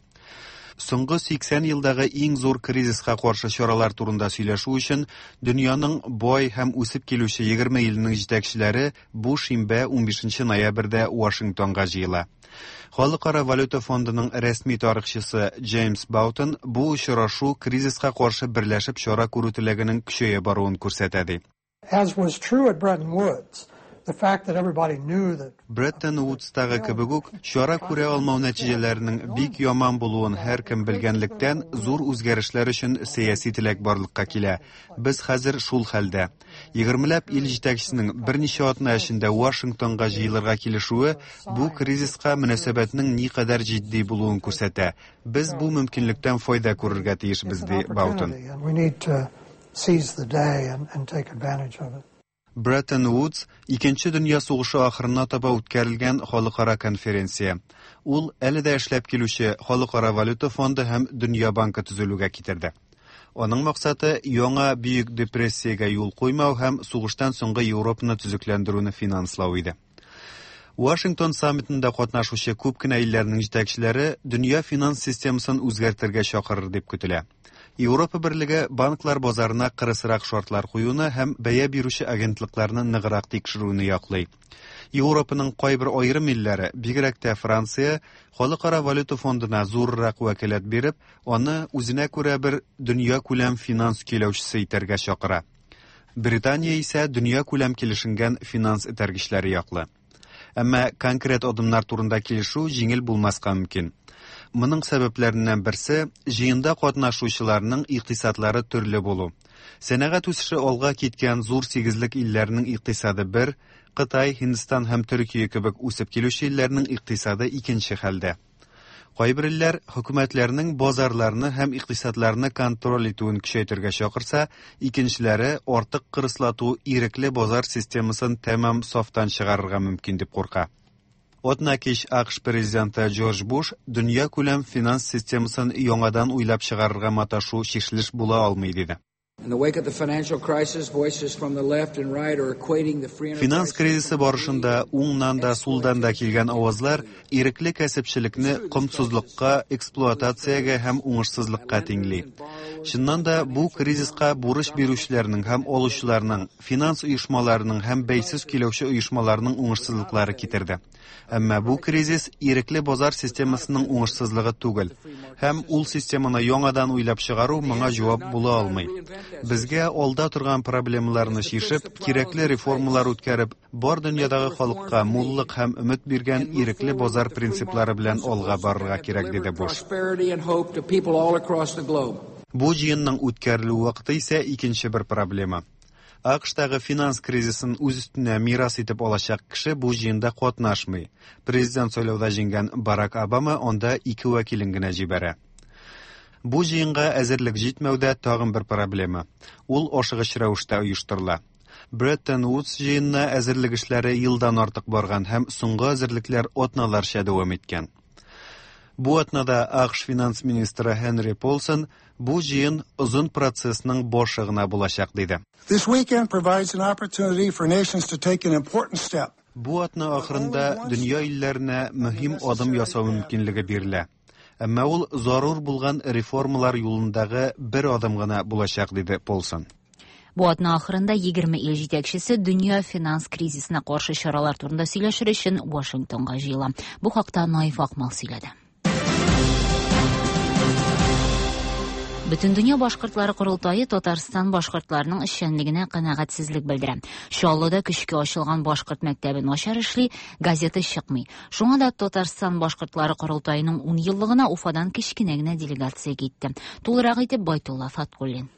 Соңгы 80 елдагы иң зур кризиска каршы чаралар турында сөйләшү өчен дөньяның бай һәм үсеп килүче 20 иленең җитәкчеләре бу шимбә 15 ноябрьдә Вашингтонга җыела. Халыкара валюта фондының рәсми тарихчысы Джеймс Баутон бу очрашу кризиска каршы берләшеп чара күрү теләгенең көчәя баруын күрсәтә ди. As was true at Bretton Woods, the fact that everybody knew that Бреттон Вудстагы кебек үк, чара күрә алмау нәтиҗәләренең бик яман булуын һәркем белгәнлектән, зур үзгәрешләр өчен сәяси теләк барлыкка килә. Без хәзер шул хәлдә. Егермеләп ил җитәкчесенең берничә атна эчендә Вашингтонга җыелырга килешүе бу кризиска мөнәсәбәтнең никадәр җитди булуын күрсәтә. Без бу мөмкинлектән файда күрергә тиешбез, ди Баутон. and we need to seize the day and take advantage of it. Бреттон Вудс Икенче дөнья сугышы ахырына таба үткәрелгән халыкара конференция. Ул әле дә эшләп килүче Халыкара валюта фонды һәм Дөнья банкы төзелүгә китерде. Аның максаты яңа бөек депрессиягә юл куймау һәм сугыштан соңгы Европаны төзекләндерүне финанслау иде. Вашингтон саммитында катнашучы күп кенә илләрнең җитәкчеләре дөнья финанс системасын үзгәртергә чакырыр дип көтелә. Европа берлеге банклар базарына кырысрак шартлар куюны һәм бәя бирүче агентлыкларны ныграк тикшерүне яклый. Европаның кайбер аерым илләре, бигрәк тә Франция, Халыкара валюта фондына зуррак вәкаләт биреп, аны үзенә күрә бер дөнья күләм финанс көйләүчесе итәргә чакыра. Британия исә дөнья күләм килешенгән финанс этәргечләре яклы. Әмма конкрет адымнар турында килешү җиңел булмаска мөмкин. Моның сәбәпләреннән берсе җыенда катнашучыларның икътисадлары төрле булу. Сәнәгать үсеше алга киткән зур сигезлек илләрнең икътисады бер, Кытай, Һиндстан һәм Төркия кебек үсеп килүче илләрнең икътисады икенче хәлдә. Кайбер илләр хөкүмәтләрнең базарларны һәм икътисадларны контроль итүен көчәйтергә чакырса, икенчеләре артык кырыслату ирекле базар системасын тәмам сафтан чыгарырга мөмкин дип курка. Атна кич АКШ президенты Джордж Буш дөнья күләм финанс системасын яңадан уйлап чыгарырга маташу чишелеш була алмый диде. In the wake of the financial crisis, voices from the left and right are equating the free Финанс кризисы барышында уңнан да сулдан да килгән авазлар ирекле кәсепчелекне комсызлыкка, эксплуатациягә һәм уңышсызлыкка тиңли. Чыннан да бу кризиска бурыч бирүчеләрнең һәм алучыларның, финанс оешмаларының һәм бәйсез көйләүче оешмаларның уңышсызлыклары китерде. Әмма бу кризис ирекле базар системасының уңышсызлыгы түгел. Һәм ул системаны яңадан уйлап чыгару моңа җавап була алмый. Безгә алда торган проблемаларны чишеп, кирәкле реформалар үткәреп, бар дөньядагы халыкка муллык һәм өмет биргән ирекле базар принциплары белән алга барырга кирәк, диде Буш. prosperity and hope to people all across the globe. Бу җыенның үткәрелү вакыты исә икенче бер проблема. АКШтагы финанс кризисын үз өстенә мирас итеп алачак кеше бу җыенда катнашмый. Президент сайлауда җиңгән Барак Обама анда ике вәкилен генә җибәрә. Бу җыенга әзерлек җитмәүдә тагын бер проблема. Ул ашыгыч рәвештә оештырыла. Бреттон Вудс җыенына әзерлек эшләре елдан артык барган һәм соңгы әзерлекләр атналарча дәвам иткән. Бу атнада АКШ финанс министры Хенри Полсон бу җыен озын процессның башы гына булачак диде. This weekend provides an opportunity for nations to take an important step. Бу атна ахырында дөнья илләренә мөһим адым ясау мөмкинлеге бирелә. Әмма ул зарур булган реформалар юлындагы бер адым гына булачак, диде Полсон. Бу атна ахырында 20 ил җитәкчесе дөнья финанс кризисына каршы чаралар турында сөйләшер өчен Вашингтонга җыела. Бу хакта Наиф Акмал сөйләде. Бөтендөнья башкортлары корылтае Татарстан башкортларының эшчәнлегенә канәгатьсезлек белдерә. Чаллыда көчкә ачылган башкорт мәктәбе начар эшли, газета чыкмый. Шуңа да Татарстан башкортлары корылтаеның 10 еллыгына Уфадан кечкенә генә делегация китте. Тулырак итеп Байтулла Фаткуллин.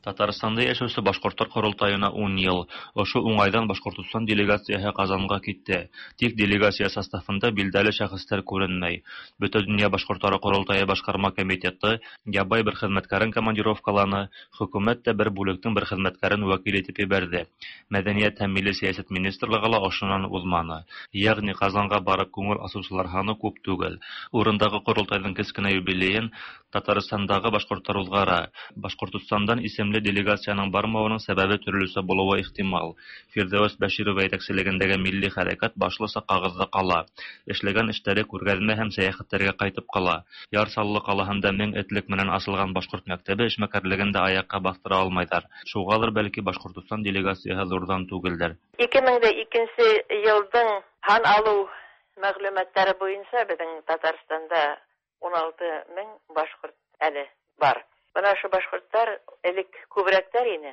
Татарстанда яшәүче башкортлар корылтаена 10 ел. Ошо уңайдан Башкортостан делегацияһе Казанга китте. Тик делегация составында билдәле шәхесләр күренмәй. Бөтендөнья башкортлары корылтае башкарма комитеты ябай бер хезмәткәрен командировкаланы, хөкүмәт тә бер бүлектең бер хезмәткәрен вәкил итеп җибәрде. Мәдәният һәм милли сәясәт министрлыгы ла ошоннан узманы. Ягъни Казанга барып күңел ачучылар һаны күп түгел. Урындагы корылтайның кечкенә юбилеен Татарстандагы башкортлар узгара. Башкортостандан исемле делегациянең бармавының сәбәбе төрлечә булуы ихтимал. Фирдәвес Бәширова җитәкчелегендәге милли хәрәкәт башлыча кагызда кала. Эшләгән эшләре күргәзмә һәм сәяхәтләргә кайтып кала. Яр Чаллы калаһында 1000 этлек менән ачылган башкорт мәктәбе эшмәкәрлеген дә аякка бастыра алмайдар. Шуңадыр бәлки Башкортостан делегацияһе зурдан түгелдер. 2002 елдың һан алу мәгълүматлары буенча безнең Татарстанда 16 мең башкорт әле бар. Менә шу башкортлар элек күбрәктәр ине.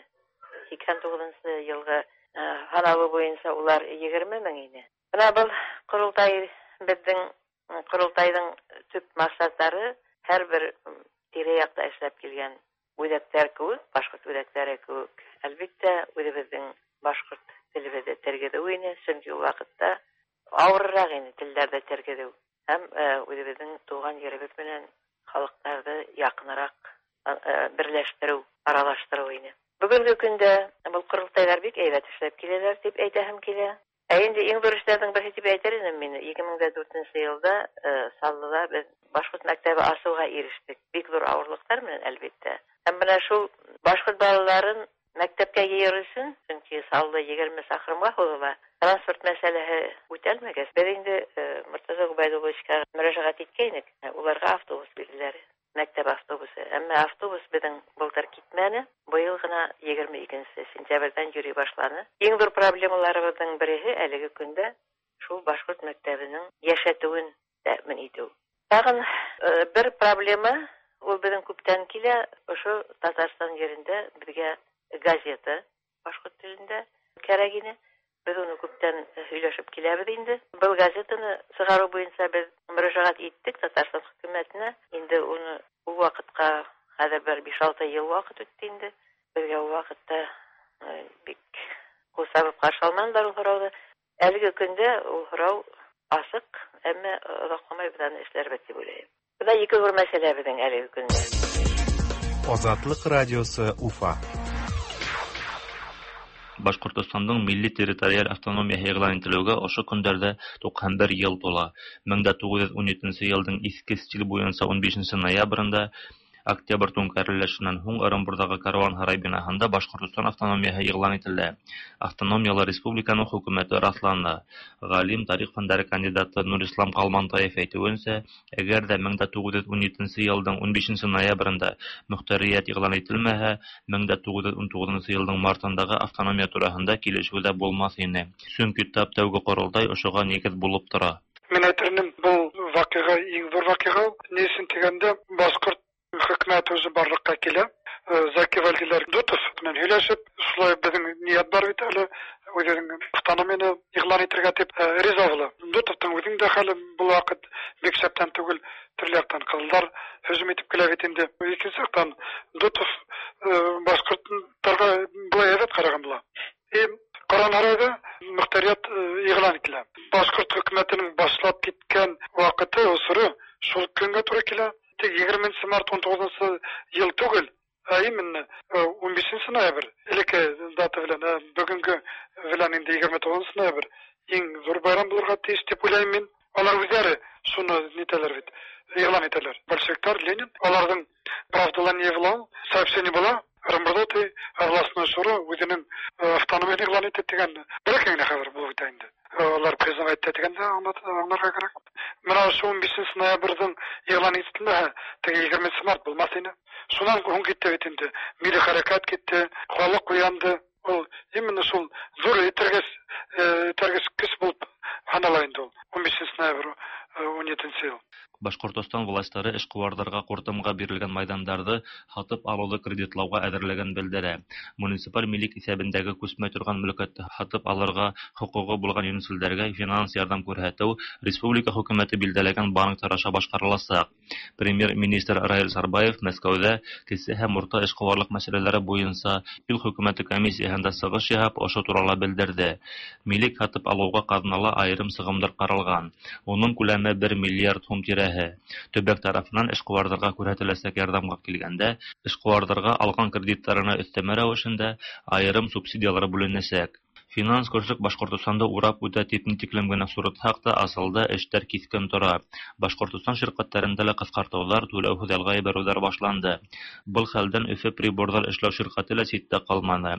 89 елгы һан алу буенча улар 20 мең ине. Менә был корылтай, безнең корылтайның төп максатлары һәрбер тирә-якта эшләп килгән үҙәктәр кеүек, башҡорт үҙәктәре кеүек, әлбиттә, үҙебеҙҙең башҡорт телебеҙҙе тергеҙеү ине, сөнки ул ваҡытта ауырыраҡ ине телдәрҙе тергеҙеү. Һәм үҙебеҙҙең тыуған еребеҙ менән халыҡтарҙы яҡыныраҡ берләштереү, аралаштырыу ине. Бөгөнгө көндә был ҡоролтайҙар бик һәйбәт эшләп киләләр тип әйтәһем килә. Ә инде иң ҙур эштәрҙең береһе тип әйтер инем мин. 2004 йылда Саллыла беҙ башҡорт мәктәбе асыуға ирештек. Бик ҙур ауырлыҡтар менән, әлбиттә. Һәм бына шул башҡорт балаларын мәктәпкә йыйыр өсөн, сөнки Саллы 20 саҡрымға һуҙыла, транспорт мәсьәләһе үтәлмәгәс, беҙ инде Мортаза Ғөбәйҙулловичҡа мөрәжәғәт иткәйнек, уларға автобус бирҙеләр, мәктәп автобусы. Әммә автобус беҙҙең былтыр китмәне, быйыл ғына 22 сентябрҙән йөрөй башланы. Иң ҙур проблемаларыбыҙҙың береһе әлеге көндә шул башҡорт мәктәбенең йәшәтеүен тәьмин итеү. Тағын бер проблема, ул беҙҙең күптән килә, ошо Татарстан ерендә беҙгә газета башҡорт телендә кәрәк ине. Беҙ уны күптән һөйләшеп киләбеҙ инде. Был газетаны сығарыу буйынса беҙ мөрәжәғәт иттек Татарстан хөкүмәтенә. Инде уны ул ваҡытҡа хәҙер бер 5-6 йыл ваҡыт үтте инде. Беҙгә ул ваҡытта бик ҡул сабып ҡаршы алманылар ул һорауҙы. Әлеге көндә ул һорау асыҡ, әммә оҙаҡламай беҙ аны эшләрбеҙ тип уйлайым. Бына ике ҙур мәсьәлә беҙҙең әлеге көндә. Азатлык радиосы Уфа. Башҡортостандың милли территориаль автономияһы иғлан ителеүгә ошо көндәрҙә 91 йыл тула. 1917 йылдың иҫке стиль буйынса 15 ноябрендә Октябрь түңкәрелешенән һуң Ырымбурҙағы Каруан һарай бинаһында Башҡортостан автономияһы иғлан ителде. Автономиялы республиканың хөкүмәте раҫланы. Ғалим, тарих фәндәре кандидаты Нурислам Ҡалмантаев әйтеүенсә, әгәр ҙә 1917 йылдың 15 ноябрендә мөхтәриәт иғлан ителмәһә, 1919 йылдың мартындағы автономия тураһында килешеү ҙә булмаҫ ине. Сөнки тап тәүге ҡоролтай ошоға нигеҙ булып тора. Мин әйтер инем, был ваҡиға иң ҙур ваҡиға. Ни өсөн тигәндә, башҡорт хөкүмәт үзе барлыҡҡа килә. Заки Вәлдиләр Дутов менән һөйләшеп, шулай беҙҙең ниәт бар бит әле, үҙенең автономияны иғлан итергә тип риза була. Дутовтың үҙенең дә хәле был ваҡыт бик шәптән түгел, төрлө яҡтан ҡыҙылдар һөжүм итеп килә бит инде. Икенсе яҡтан Дутов башҡорттарға былай һәйбәт ҡараған була. Ҡаран һарайҙа мөхтәриәт иғлан ителә. Башҡорт хөкүмәтенең башлап киткән ваҡыты, осоро шул көнгә тура килә. Тик 20 март 19 йыл түгел, ә именно 15 ноябрь, элекке дата белән, бөгөнгө белән инде 29 ноябрь иң ҙур байрам булырға тейеш тип уйлайым мин. Алар үҙҙәре шуны нитәләр бит, иғлан итәләр. Большевиктар, Ленин, аларҙың правдала не була, сообщение була, Ырымбурҙа ти областной шура үҙенең автономияһын иғлан итте тигән бәләкәй генә хәбәр булып үтә инде. Алар признавать итә дигәндә аңларга кирәк. Менә шул 15 ноябрьдән игълан ителмәһә, теге 20 март булмас иде. Шуннан һуң китте бит инде. Милли хәрәкәт китте, халык уянды. Ул именно шул зур этәргеч көч булып санала инде ул. 15 ноябрь 17 ел. Башкортостан властьлары эшкуарларга куртымга бирелгән майданнарны һатып алуды кредитлауга әҙерлеген белдерә. Муниципаль милек иҫәбендәге күсмәй торған мөлкәтте һатып алырға хоҡуғы булған йүнселдәргә финанс ярҙам күрһәтеү республика хөкүмәте билдәләгән банктар аша башҡарыласаҡ. Премьер-министр Раил Сарбаев Мәскәүҙә кесе һәм урта эшҡыуарлыҡ мәсьәләләре буйынса ил хөкүмәте комиссияһында сығыш яһап, ошо турала белдерҙе. Милек һатып алыуға ҡаҙнала айырым сығымдар ҡаралған. Уның күләме 1 миллиард һум тирәһе. Төбәк тарафынан эшҡыуарҙарға күрһәтеләсәк ярҙамға килгәндә, эшҡыуарҙарға алған кредиттарына өҫтәмә рәүешендә айырым субсидиялар бүленәсәк. Финанс көрсөк Башҡортостанды урап үтә тип ни тиклем генә сурытһаҡ та, асылда эштәр киҫкен тора. Башҡортостан ширҡәттәрендә лә ҡыҫҡартыуҙар, түләүһеҙ ялға ебәреүҙәр башланды. Был хәлдән Өфө приборҙар эшләү ширҡәте лә ситтә ҡалманы.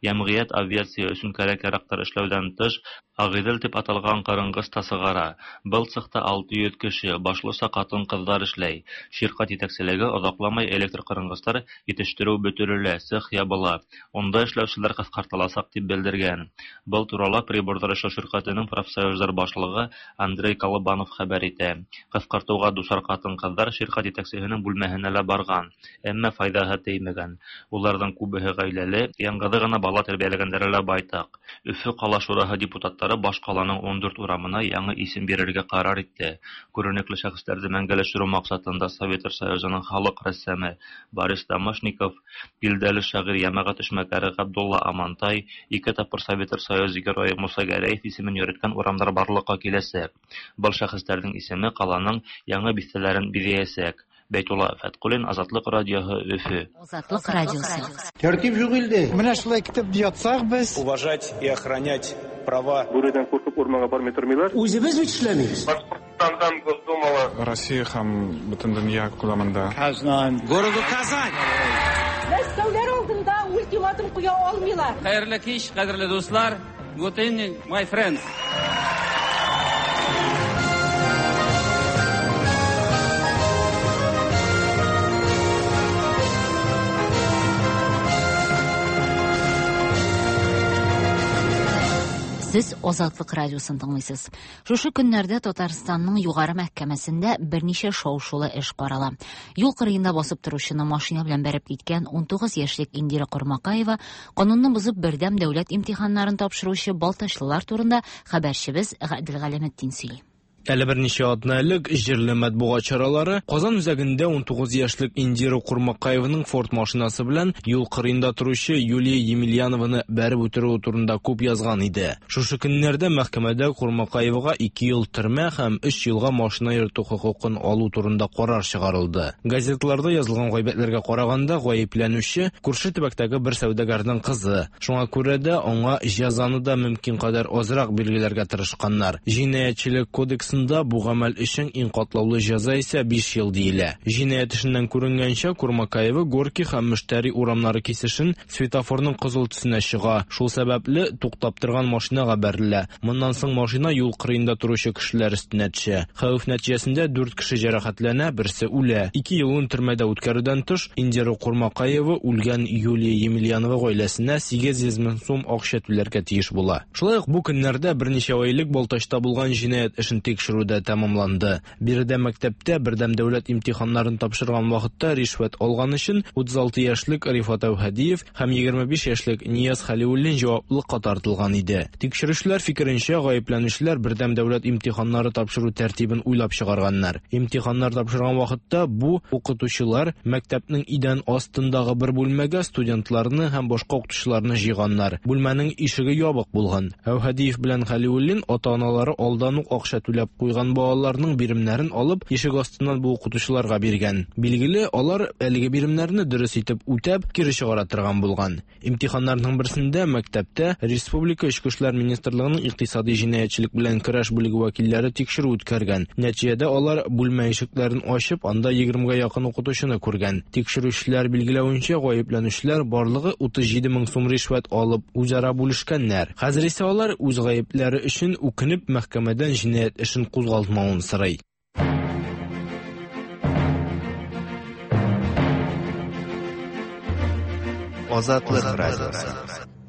Йәмғиәт авиация өсөн кәрәк-яраҡтар эшләүҙән тыш, Ағиҙел тип аталған ҡырынғыс та сығара. Был цехта 600 кеше, башлыса ҡатын-ҡыҙҙар эшләй. Ширҡәт етәкселеге оҙаҡламай электр ҡырынғыстар етештереү бөтөрөлә, цех ябыла. Унда эшләүселәр ҡыҫҡартыласаҡ тип белдергән. Был турала приборҙар эшләү ширҡәтенең профсоюздар башлығы Андрей Колобанов хәбәр итә. Ҡыҫҡартыуға дусар ҡатын-ҡыҙҙар ширҡәт етәксеһенең бүлмәһенә лә барған, әммә файҙаһы теймәгән. Уларҙың күбеһе ғаиләле, яңғыҙы ғына бала тәрбиәләгәндәре лә байтаҡ. Өфө ҡала шураһы депутаттары баш ҡаланың 14 урамына яңы исем бирергә ҡарар итте. Күренекле шәхестәрҙе мәңгеләштереү маҡсатында Советтар Союзының халыҡ рәссамы Борис Домашников, билдәле шағир, йәмәғәт эшмәкәре Ғабдулла Амантай, ике тапҡыр Советтар Союзы геройы Муса Гәрәев исемен йөрөткән урамдар барлыҡҡа киләсәк. Был шәхестәрҙең исеме ҡаланың яңы биҫтәләрен биҙәйәсәк. Бәйтулла Фәтҡуллин, Азатлыҡ радиоһы, Өфө. Азатлыҡ радиосы. Тәртип юҡ илдә. Менә шулай китеп ятсаҡ беҙ. Уважать и охранять права. Бүредән ҡурҡып урманға бармай тормайлар. Үҙебеҙ бит эшләмәйбеҙ. Башҡортостандан Госдумала. Россия һәм бөтөн донъя күләмендә. Казан. Городу Казань. Мәскәүләр алдында ультиматум ҡуя алмайлар. Хәйерле кис, ҡәҙерле дуҫлар. Good evening, my friends. Сез Азатлык радиосын тыңлыйсыз. Шушы көннәрдә Татарстанның югары мәхкәмәсендә берничә шау-шулы эш карала. Юл кырыенда басып торучыны машина белән бәреп киткән 19 яшьлек Индира Кормакаева канунны бозып бердәм дәүләт имтиханнарын тапшыручы балтачлылар турында хәбәрчебез Гадел Галәметдин сөйли. Әле берничә атна элек җирле матбугат чаралары Казан үзәгендә 19 яшьлек Индира Курмакаеваның Форд машинасы белән юл кырыенда торучы Юлия Емельянованы бәреп үтерүе турында күп язган иде. Шушы көннәрдә мәхкәмәдә Курмакаевага 2 ел төрмә һәм 3 елга машина йөртү хокукын алу турында карар чыгарылды. Газетларда язылган гайбәтләргә караганда, гаепләнүче күрше төбәктәге бер сәүдәгәрнең кызы. Шуңа күрә дә аңа җәзаны да мөмкин кадәр азрак билгеләргә тырышканнар. Җинаятьчелек кодексы бу гамәл өчен иң катлаулы җәза исә 5 ел диелә. Җинаять эшеннән күренгәнчә, Курмакаева Горки һәм Мөштәри урамнары кисешен светофорның кызыл төсенә чыга. Шул сәбәпле туктап торган машинага бәрелә. Моннан соң машина юл кырыенда торучы кешеләр өстенә төшә. Хәвеф нәтиҗәсендә 4 кеше җәрәхәтләнә, берсе үлә. 2 елын төрмәдә үткәрүдән тыш, Индира Курмакаева үлгән Юлия Емельянова гаиләсенә 800 мең сум акча түләргә тиеш була. Шулай ук бу көннәрдә берничә ай элек Балтачта булган җинаять эшен тикшерү дә тәмамланды. Биредә мәктәптә бердәм дәүләт имтиханнарын тапшырган вакытта ришвәт алган өчен 36 яшьлек Рифат Әүһәдиев һәм 25 яшьлек Нияз Хәлиуллин җаваплылыкка тартылган иде. Тикшерүчеләр фикеренчә, гаепләнүчеләр бердәм дәүләт имтиханнары тапшыру тәртибен уйлап чыгарганнар. Имтиханнар тапшырган вакытта бу укытучылар мәктәпнең идән астындагы бер бүлмәгә студентларны һәм башка укытучыларны җыйганнар. Бүлмәнең ишеге ябык булган. Әүһәдиев белән Хәлиуллин ата-аналары алдан ук акча түләп куйган балаларның биремнәрен алып, ишек астыннан бу укытучыларга биргән. Билгеле, алар әлеге биремнәрне дөрес итеп үтәп, кире чыгара торган булган. Имтиханнарның берсендә мәктәптә республика Эчке эшләр министрлыгының икътисади җинаятьчелек белән көрәш бүлеге вәкилләре тикшерү үткәргән. Нәтиҗәдә алар бүлмә ишекләрен ачып, анда 20гә якын укытучыны күргән. Тикшерүчеләр билгеләвенчә, гаепләнүчеләр барлыгы 37 мең сум ришвәт алып, үзара бүлешкәннәр. Хәзер исә алар үз гаепләре өчен үкенеп, мәхкәмәдән җинаять эшен кузгалтмавын сорый. Азатлык радиосы.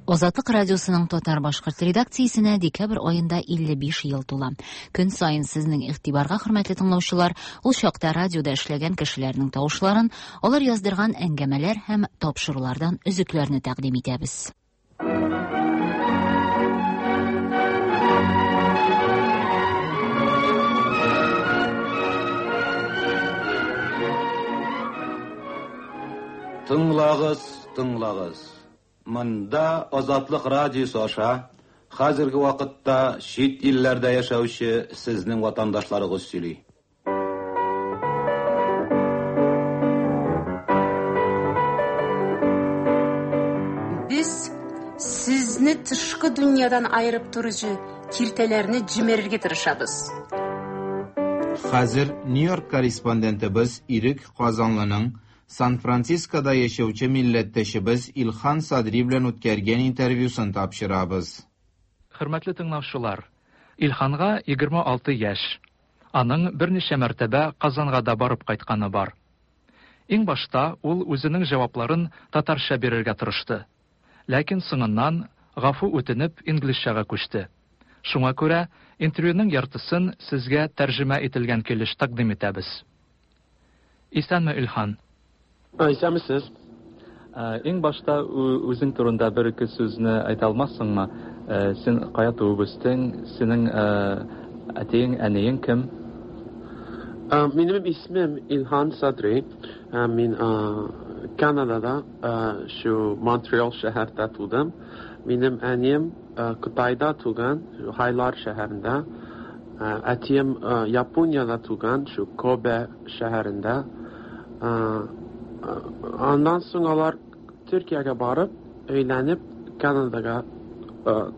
Азатлык радиосының татар-башкорт редакциясенә декабрь аенда 55 ел тула. Көн саен сезнең игътибарга, хөрмәтле тыңлаучылар, ул чакта радиода эшләгән кешеләрнең тавышларын, алар яздырган әңгәмәләр һәм тапшырулардан өзекләрне тәкъдим итәбез. Тыңлагыз, тыңлагыз. Монда Азатлык радиосы аша хәзерге вакытта чит илләрдә яшәүче сезнең ватандашларыгыз сөйли. Без сезне тышкы дөньядан аерып торучы киртәләрне җимерергә тырышабыз. Хәзер Нью-Йорк корреспондентыбыз Ирек Казанлының Сан-Францискода яшәүче милләттәшебез Илхан Садри белән үткәргән интервьюсын тапшырабыз. Хөрмәтле тыңлаучылар, Илханга 26 яшь. Аның берничә мәртәбә Казанга да барып кайтканы бар. Иң башта ул үзенең җавапларын татарча бирергә тырышты. Ләкин соңыннан, гафу үтенеп, инглизчәгә күчте. Шуңа күрә интервьюның яртысын сезгә тәрҗемә ителгән килеш тәкъдим итәбез. Исәнме, Илхан? Исәнмесез. Иң башта үзең турында бер-ике сүзне әйтә алмассыңмы? Син кая туып үстең? Синең әтиең, әниең кем? Минем исемем Илһан Садри. Мин Канадада, шу Монтреал шәһәрдә тудым. Минем әнием Кытайда туган, Хайлар шәһәрендә. Әтием Япониядә туган, шу Кобе шәһәрендә. Аннан соң алар Төркиягә барып, өйләнеп, Канадага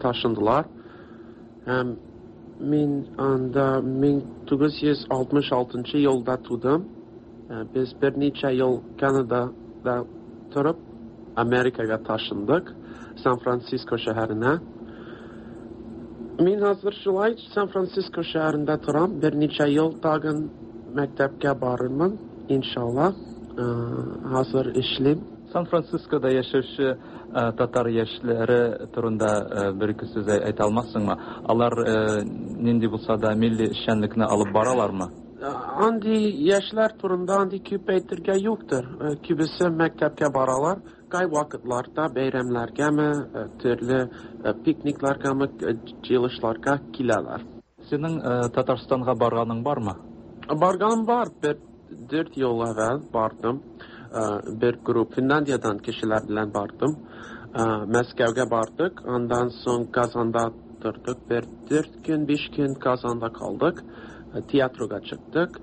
ташындылар. Һәм мин анда 1966 елда тудым. Без берничә ел Канадада торып, Америкага ташындык, Сан-Франциско шәһәренә. Мин хәзер шулай Сан-Франциско шәһәрендә торам. Берничә ел тагын мәктәпкә барырмын, иншалла. Хәзер эшлим. Сан-Францискода яшәүче татар яшьләре турында бер-ике сүз әйтә алмассыңмы? Алар нинди булса да милли эшчәнлекне алып баралармы? Андый яшьләр турында андый күп әйтергә юктыр. Күбесе мәктәпкә баралар. Кайвакытларда бәйрәмнәргәме, төрле пикникларгамы, җыелышларга киләләр. Синең Татарстанга барганың бармы? Барганым бар. Бер дүрт ел әвәл бардым. Бер групп Финляндиядән кешеләр белән бардым. Мәскәүгә бардык. Аннан соң Казанда тордык. Бер дүрт көн, биш көн Казанда калдык. Театрга чыктык.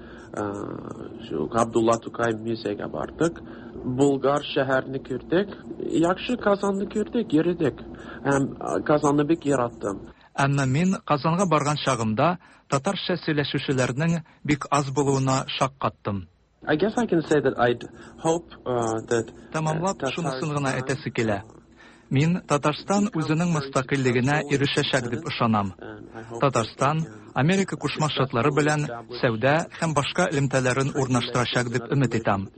Шу Габдулла Тукай музейга бардык. Булгар шәһәрне күрдек. Яхшы Казанны күрдек, йөрдек. Һәм Казанны бик яраттым. Әмма мин Казанга барган чагымда татарча сөйләшүчеләрнең бик аз булуына шаккаттым. I guess I can say that I'd hope that Тәмамлап, шунысын гына әйтәсе килә. Мин Татарстан үзенең мөстәкыйльлегенә ирешәчәк дип ышанам. Татарстан Америка Кушма Штатлары белән сәүдә һәм башка элемтәләрен урнаштырачак дип өмет итәм.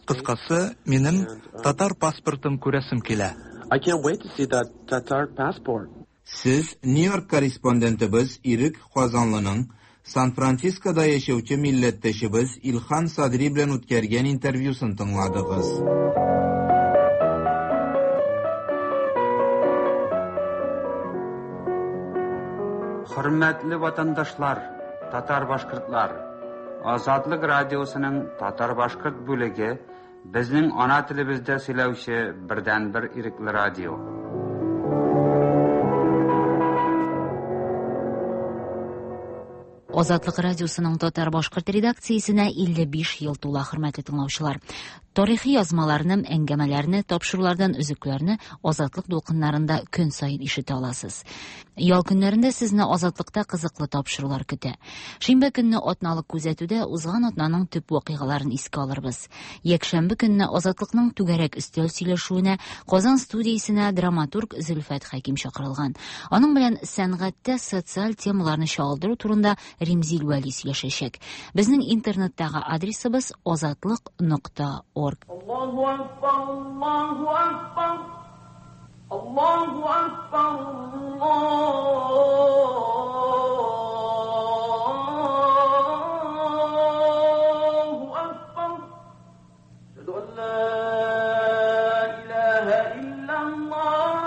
Кыскасы, минем татар паспортын күрәсем килә. I can't wait to see that Tatar passport. Сез Нью-Йорк корреспондентыбыз Ирек Казанлының Сан-Францискода яшәүче милләттәшебез Илхан Садри белән үткәргән интервьюсын тыңладыгыз. Хөрмәтле ватандашлар, татар-башкортлар! Азатлык радиосының татар-башкорт бүлеге безнең ана телебездә сөйләүче бердәнбер ирекле радио. Азатлык радиосының татар-башкорт редакциясенә 55 ел тула, хөрмәтле тыңлаучылар. Тарихи язмаларны, әңгәмәләрне, тапшырулардан өзекләрне Азатлык дулкыннарында көн саен ишетә аласыз. Ял көннәрендә сезне Азатлыкта кызыклы тапшырулар көтә. Шимбә көнне атналык күзәтүдә узган атнаның төп вакыйгаларын искә алырбыз. Якшәмбе көнне Азатлыкның түгәрәк өстәл сөйләшүенә Казан студиясенә драматург Зөлфәт Хәким чакырылган. Аның белән сәнгатьтә социаль темаларны чагылдыру турында Римзил Вәли сөйләшәчәк. Безнең интернеттагы адресыбыз азатлык.орг. Аллаһу акбар, Аллаһу акбар, Аллаһу акбар, Аллаһу акбар. Әшһәду ан ла илаһа иллаллаһ.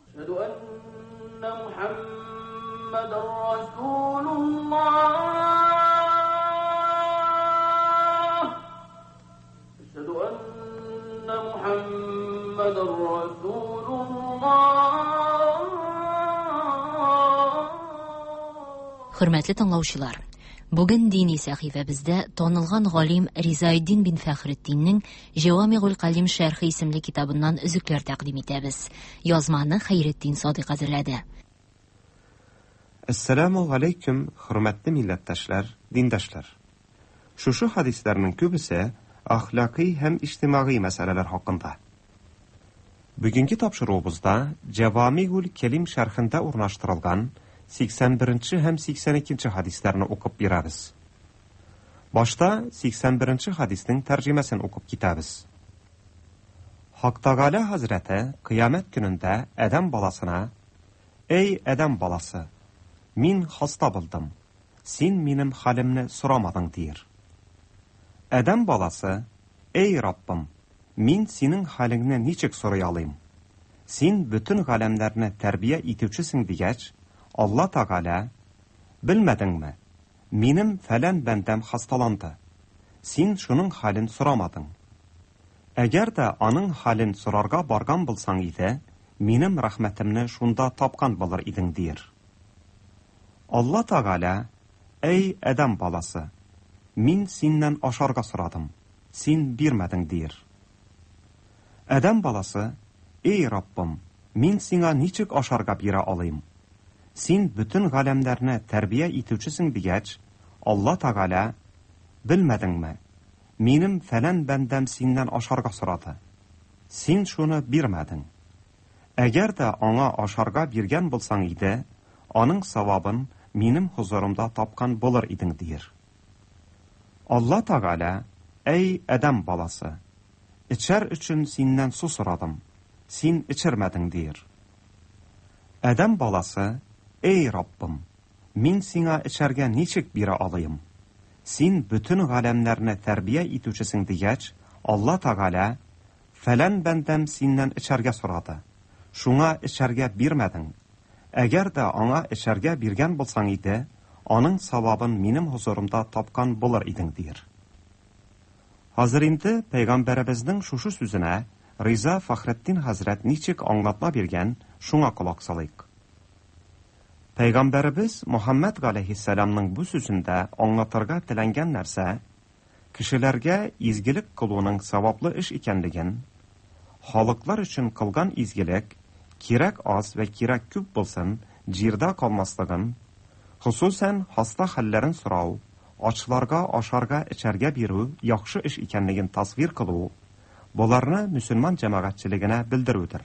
Әшһәду анна Мухаммадан расулуллаһ. Әшһәду анна Мухаммадан расулуллаһ. Хөрмәтле тыңлаучылар, бүген дини сәхифәбездә танылган галим Ризаэддин бин Фәхретдиннең Җәвамигуль Калим шәрхе исемле китабыннан өзекләр тәкъдим итәбез. Язманы Хәйретдин Садыйк әзерләде. Әссәламү галәйкүм, хөрмәтле милләттәшләр, диндәшләр! Шушы хәдисләрнең күбесе әхлакый һәм иҗтимагый мәсьәләләр хакында. Бүгенге тапшыруыбызда Җәвамигуль Кәлим шәрхендә урнаштырылган 81 нче һәм 82 нче хәдисләрне укып бирәбез. Башта 81 нче хәдиснең тәрҗемәсен укып китәбез. Хак Тәгалә хәзрәте Кыямәт көнендә адәм баласына, Әй, адәм баласы, мин хаста булдым, син минем хәлемне сорамадың, диер. Адәм баласы, Әй, Раббым, мин синең хәлеңне ничек сорый алыйм? Син бөтен галәмнәрне тәрбия итүчесең дигәч, Алла Тәгалә, Белмәдеңме, минем фәлән бәндәм хасталанды. Син шуның хәлен сорамадың. Әгәр дә аның хәлен сорарга барган булсаң иде, минем рәхмәтемне шунда тапкан булыр идең, диер. Алла Тәгалә, Әй, адәм баласы! Мин синнән ашарга сорадым, син бирмәдең, диер. Адәм баласы, Эй, Раббым, мин сиңа ничек ашарга бирә алыйм? Син бөтен галәмнәрне тәрбия итүчесең дигәч, Алла Тәгалә, Белмәдеңме, минем фәлән бәндәм синнән ашарга сорады. Син шуны бирмәдең. Әгәр дә аңа ашарга биргән булсаң иде, аның савабын минем хозурымда тапкан булыр идең, диер. Алла Тәгалә, Әй, адәм баласы! Эчәр өчен синнән су сорадым, син эчермәдең, диер. Адәм баласы, Әй, Раббым! Мин сиңа эчәргә ничек бирә алыйм? Син бөтен галәмнәрне тәрбия итүчесең, дигәч, Алла Тәгалә, Фәлән бәндәм синнән эчәргә сорады, шуңа эчәргә бирмәдең. Әгәр дә аңа эчәргә биргән булсаң иде, аның савабын минем хозурымда тапкан булыр идең, диер. Хәзер инде пәйгамбәребезнең шушы сүзенә Риза Фәхретдин хәзрәт ничек аңлатма биргән, шуңа колак салыйк. Пәйгамбәребез Мөхәммәд галәйһиссәламның бу сүзендә аңлатырга теләнгән нәрсә, Кешеләргә изгелек кылуның саваплы эш икәнлеген, халыклар өчен кылган изгелек, кирәк аз вә кирәк күп булсын, җирдә калмаслыгын, хосусән хаста хәлләрен сорау, ачларга ашарга-эчәргә бирү яхшы эш икәнлеген тасвир кылу, боларны мөселман җәмәгатьчелегенә белдерүдер.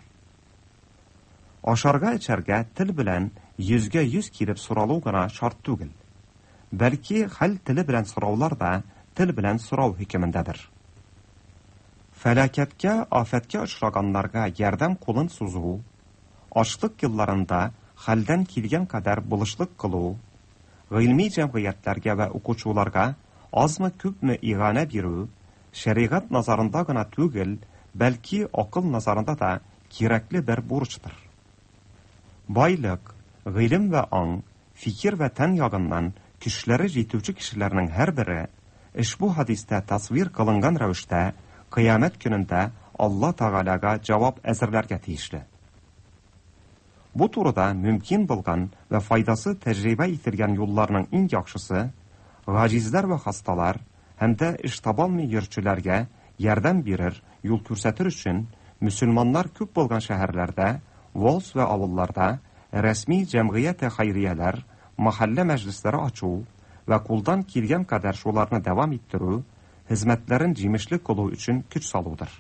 Ашарга-эчәргә тел белән йөзгә-йөз килеп соралу гына шарт түгел. Бәлки хәл теле белән сораулар да тел белән сорау хөкемендәдер. Фәлакәткә, афәткә очраганнарга ярдәм кулын сузу, ачлык елларында хәлдән килгән кадәр булышлык кылу, гыйльми җәмгыятьләргә вә укучуларга азмы-күпме иганә бирү, шәригать назарында гына түгел, бәлки акыл назарында да кирәкле бер бурычтыр. Байлык, гыйлем вә аң, фикер вә тән ягыннан көчләре җитүче кешеләрнең һәрбере, ошбу хәдистә тасвир кылынган рәвештә, Кыямәт көнендә Алла Тәгаләгә җавап әзерләргә тиешле. Бу турыда мөмкин булган вә файдасы тәҗрибә ителгән юлларның иң яхшысы, гаҗизләр вә хасталар һәм дә эш табалмый йөрүчеләргә ярдәм бирер, юл күрсәтер өчен, мөселманнар күп булган шәһәрләрдә, волс вә авылларда рәсми җәмгыяте хәйрияләр, мәхәллә мәҗлесләре ачу вә кулдан килгән кадәр шуларны дәвам иттерү, хезмәтләрен җимешле кылу өчен көч салудыр.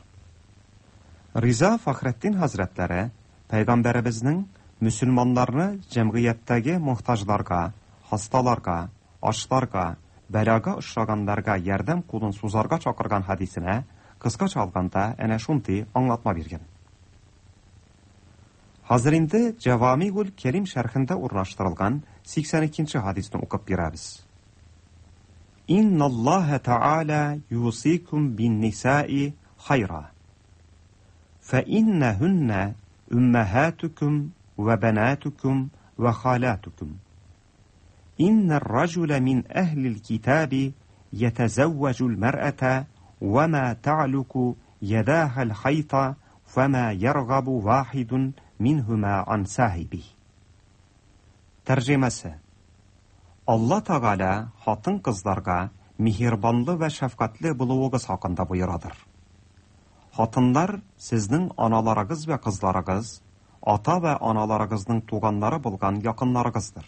Риза Фәхретдин хәзрәтләре пәйгамбәребезнең мөселманнарны җәмгыятьтәге мохтаҗларга, хасталарга, ачларга, бәлага очраганнарга ярдәм кулын сузарга чакырган хәдисенә кыскача алганда әнә шундый аңлатма биргән. Хәзер инде Җәвамигуль Кәрим шәрхендә урнаштырылган 82 нче хәдисне укып бирәбез. Инналлаһа тәгалә юсикум бин-нисаи хайра. Фәиннәһүннә уммаһатукум вә бәнатукум вә халатукум. Иннәр раҗула мин әһлил китаби ятазәввәҗул мәръәтә вә ма тәгълуку ядаһал хайта фәма яргабу вахидун минһума ан сахибих. Тәрҗемәсе. Алла Тәгалә хатын-кызларга миһербанлы вә шәфкатьле булуыгыз хакында боерадыр. Хатыннар сезнең аналарыгыз вә кызларыгыз, ата вә аналарыгызның туганнары булган якыннарыгыздыр.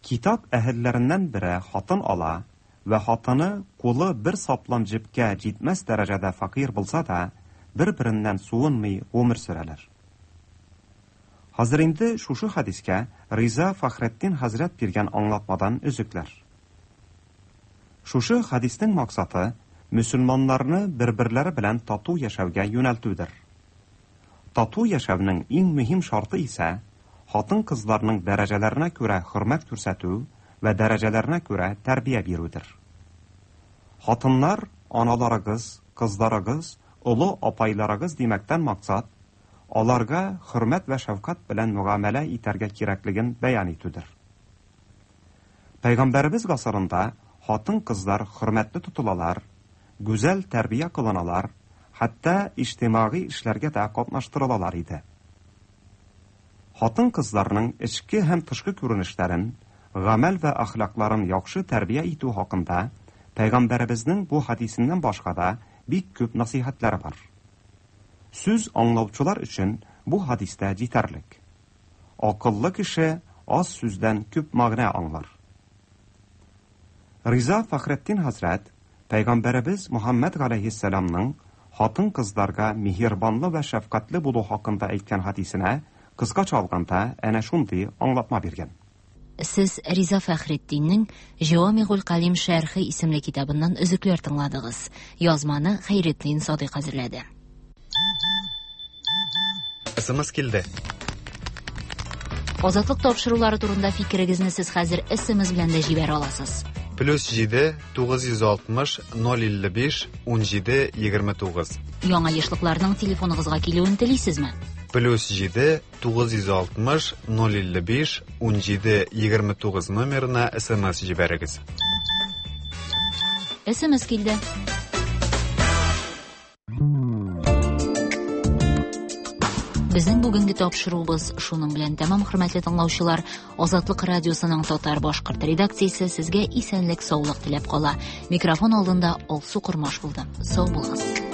Китап әһелләреннән бере хатын ала вә хатыны кулы бер саплам җепкә җитмәс дәрәҗәдә фәкыйрь булса да, бер-береннән суынмый гомер сөрәләр. Хәзер инде шушы хәдискә Риза Фәхретдин хәзрәт биргән аңлатмадан өзекләр. Шушы хәдиснең максаты мөселманнарны бер-берләре белән тату яшәүгә юнәлтүдер. Тату яшәүнең иң мөһим шарты исә хатын-кызларның дәрәҗәләренә күрә хөрмәт күрсәтү вә дәрәҗәләренә күрә тәрбия бирүдер. Хатыннар, аналарыгыз, кызларыгыз, олы апайларыгыз димәктән максат, аларга хөрмәт вә шәфкать белән мөгамәлә итәргә кирәклеген бәян итүдер. Пәйгамбәребез гасырында хатын-кызлар хөрмәтле тотылалар, гүзәл тәрбия кылыналар, хәтта иҗтимагый эшләргә дә катнаштырылалар иде. Хатын-кызларның эчке һәм тышкы күренешләрен, гамәл вә әхлакларын яхшы тәрбия итү хакында Пәйгамбәребезнең бу хәдисеннән башка да бик күп насыйхәтләре бар. Сүз аңлаучылар өчен бу хәдис тә җитәрлек. Акыллы кеше аз сүздән күп мәгънә аңлар. Риза Фәхретдин хәзрәт Пәйгамбәребез Мөхәммәд галәйһиссәламның хатын-кызларга миһербанлы вә шәфкатьле булу хакында әйткән хәдисенә кыскача алганда әнә шундый аңлатма биргән. Сез Риза Фәхретдиннең Җавамигуль Калим шәрхе исемле китабыннан өзекләр тыңладыгыз. Язманы Хәйретдин Садыйк әзерләде. СМС килде. Азатлык тапшырулары турында фикерегезне сез хәзер СМС белән дә җибәрә аласыз. Плюс 7 960 055 17 29. Яңа ешлыкларның телефоныгызга килүен телисезме? Плюс 7 960 055 17 29 номерына СМС җибәрегез. СМС килде. Безнең бүгенге тапшыруыбыз шуның белән тәмам, хөрмәтле тыңлаучылар. Азатлык радиосының татар башкорт редакциясе сезгә исәнлек, саулык теләп кала. Микрофон алдында Алсу Кормаш булды. Сау булыгыз.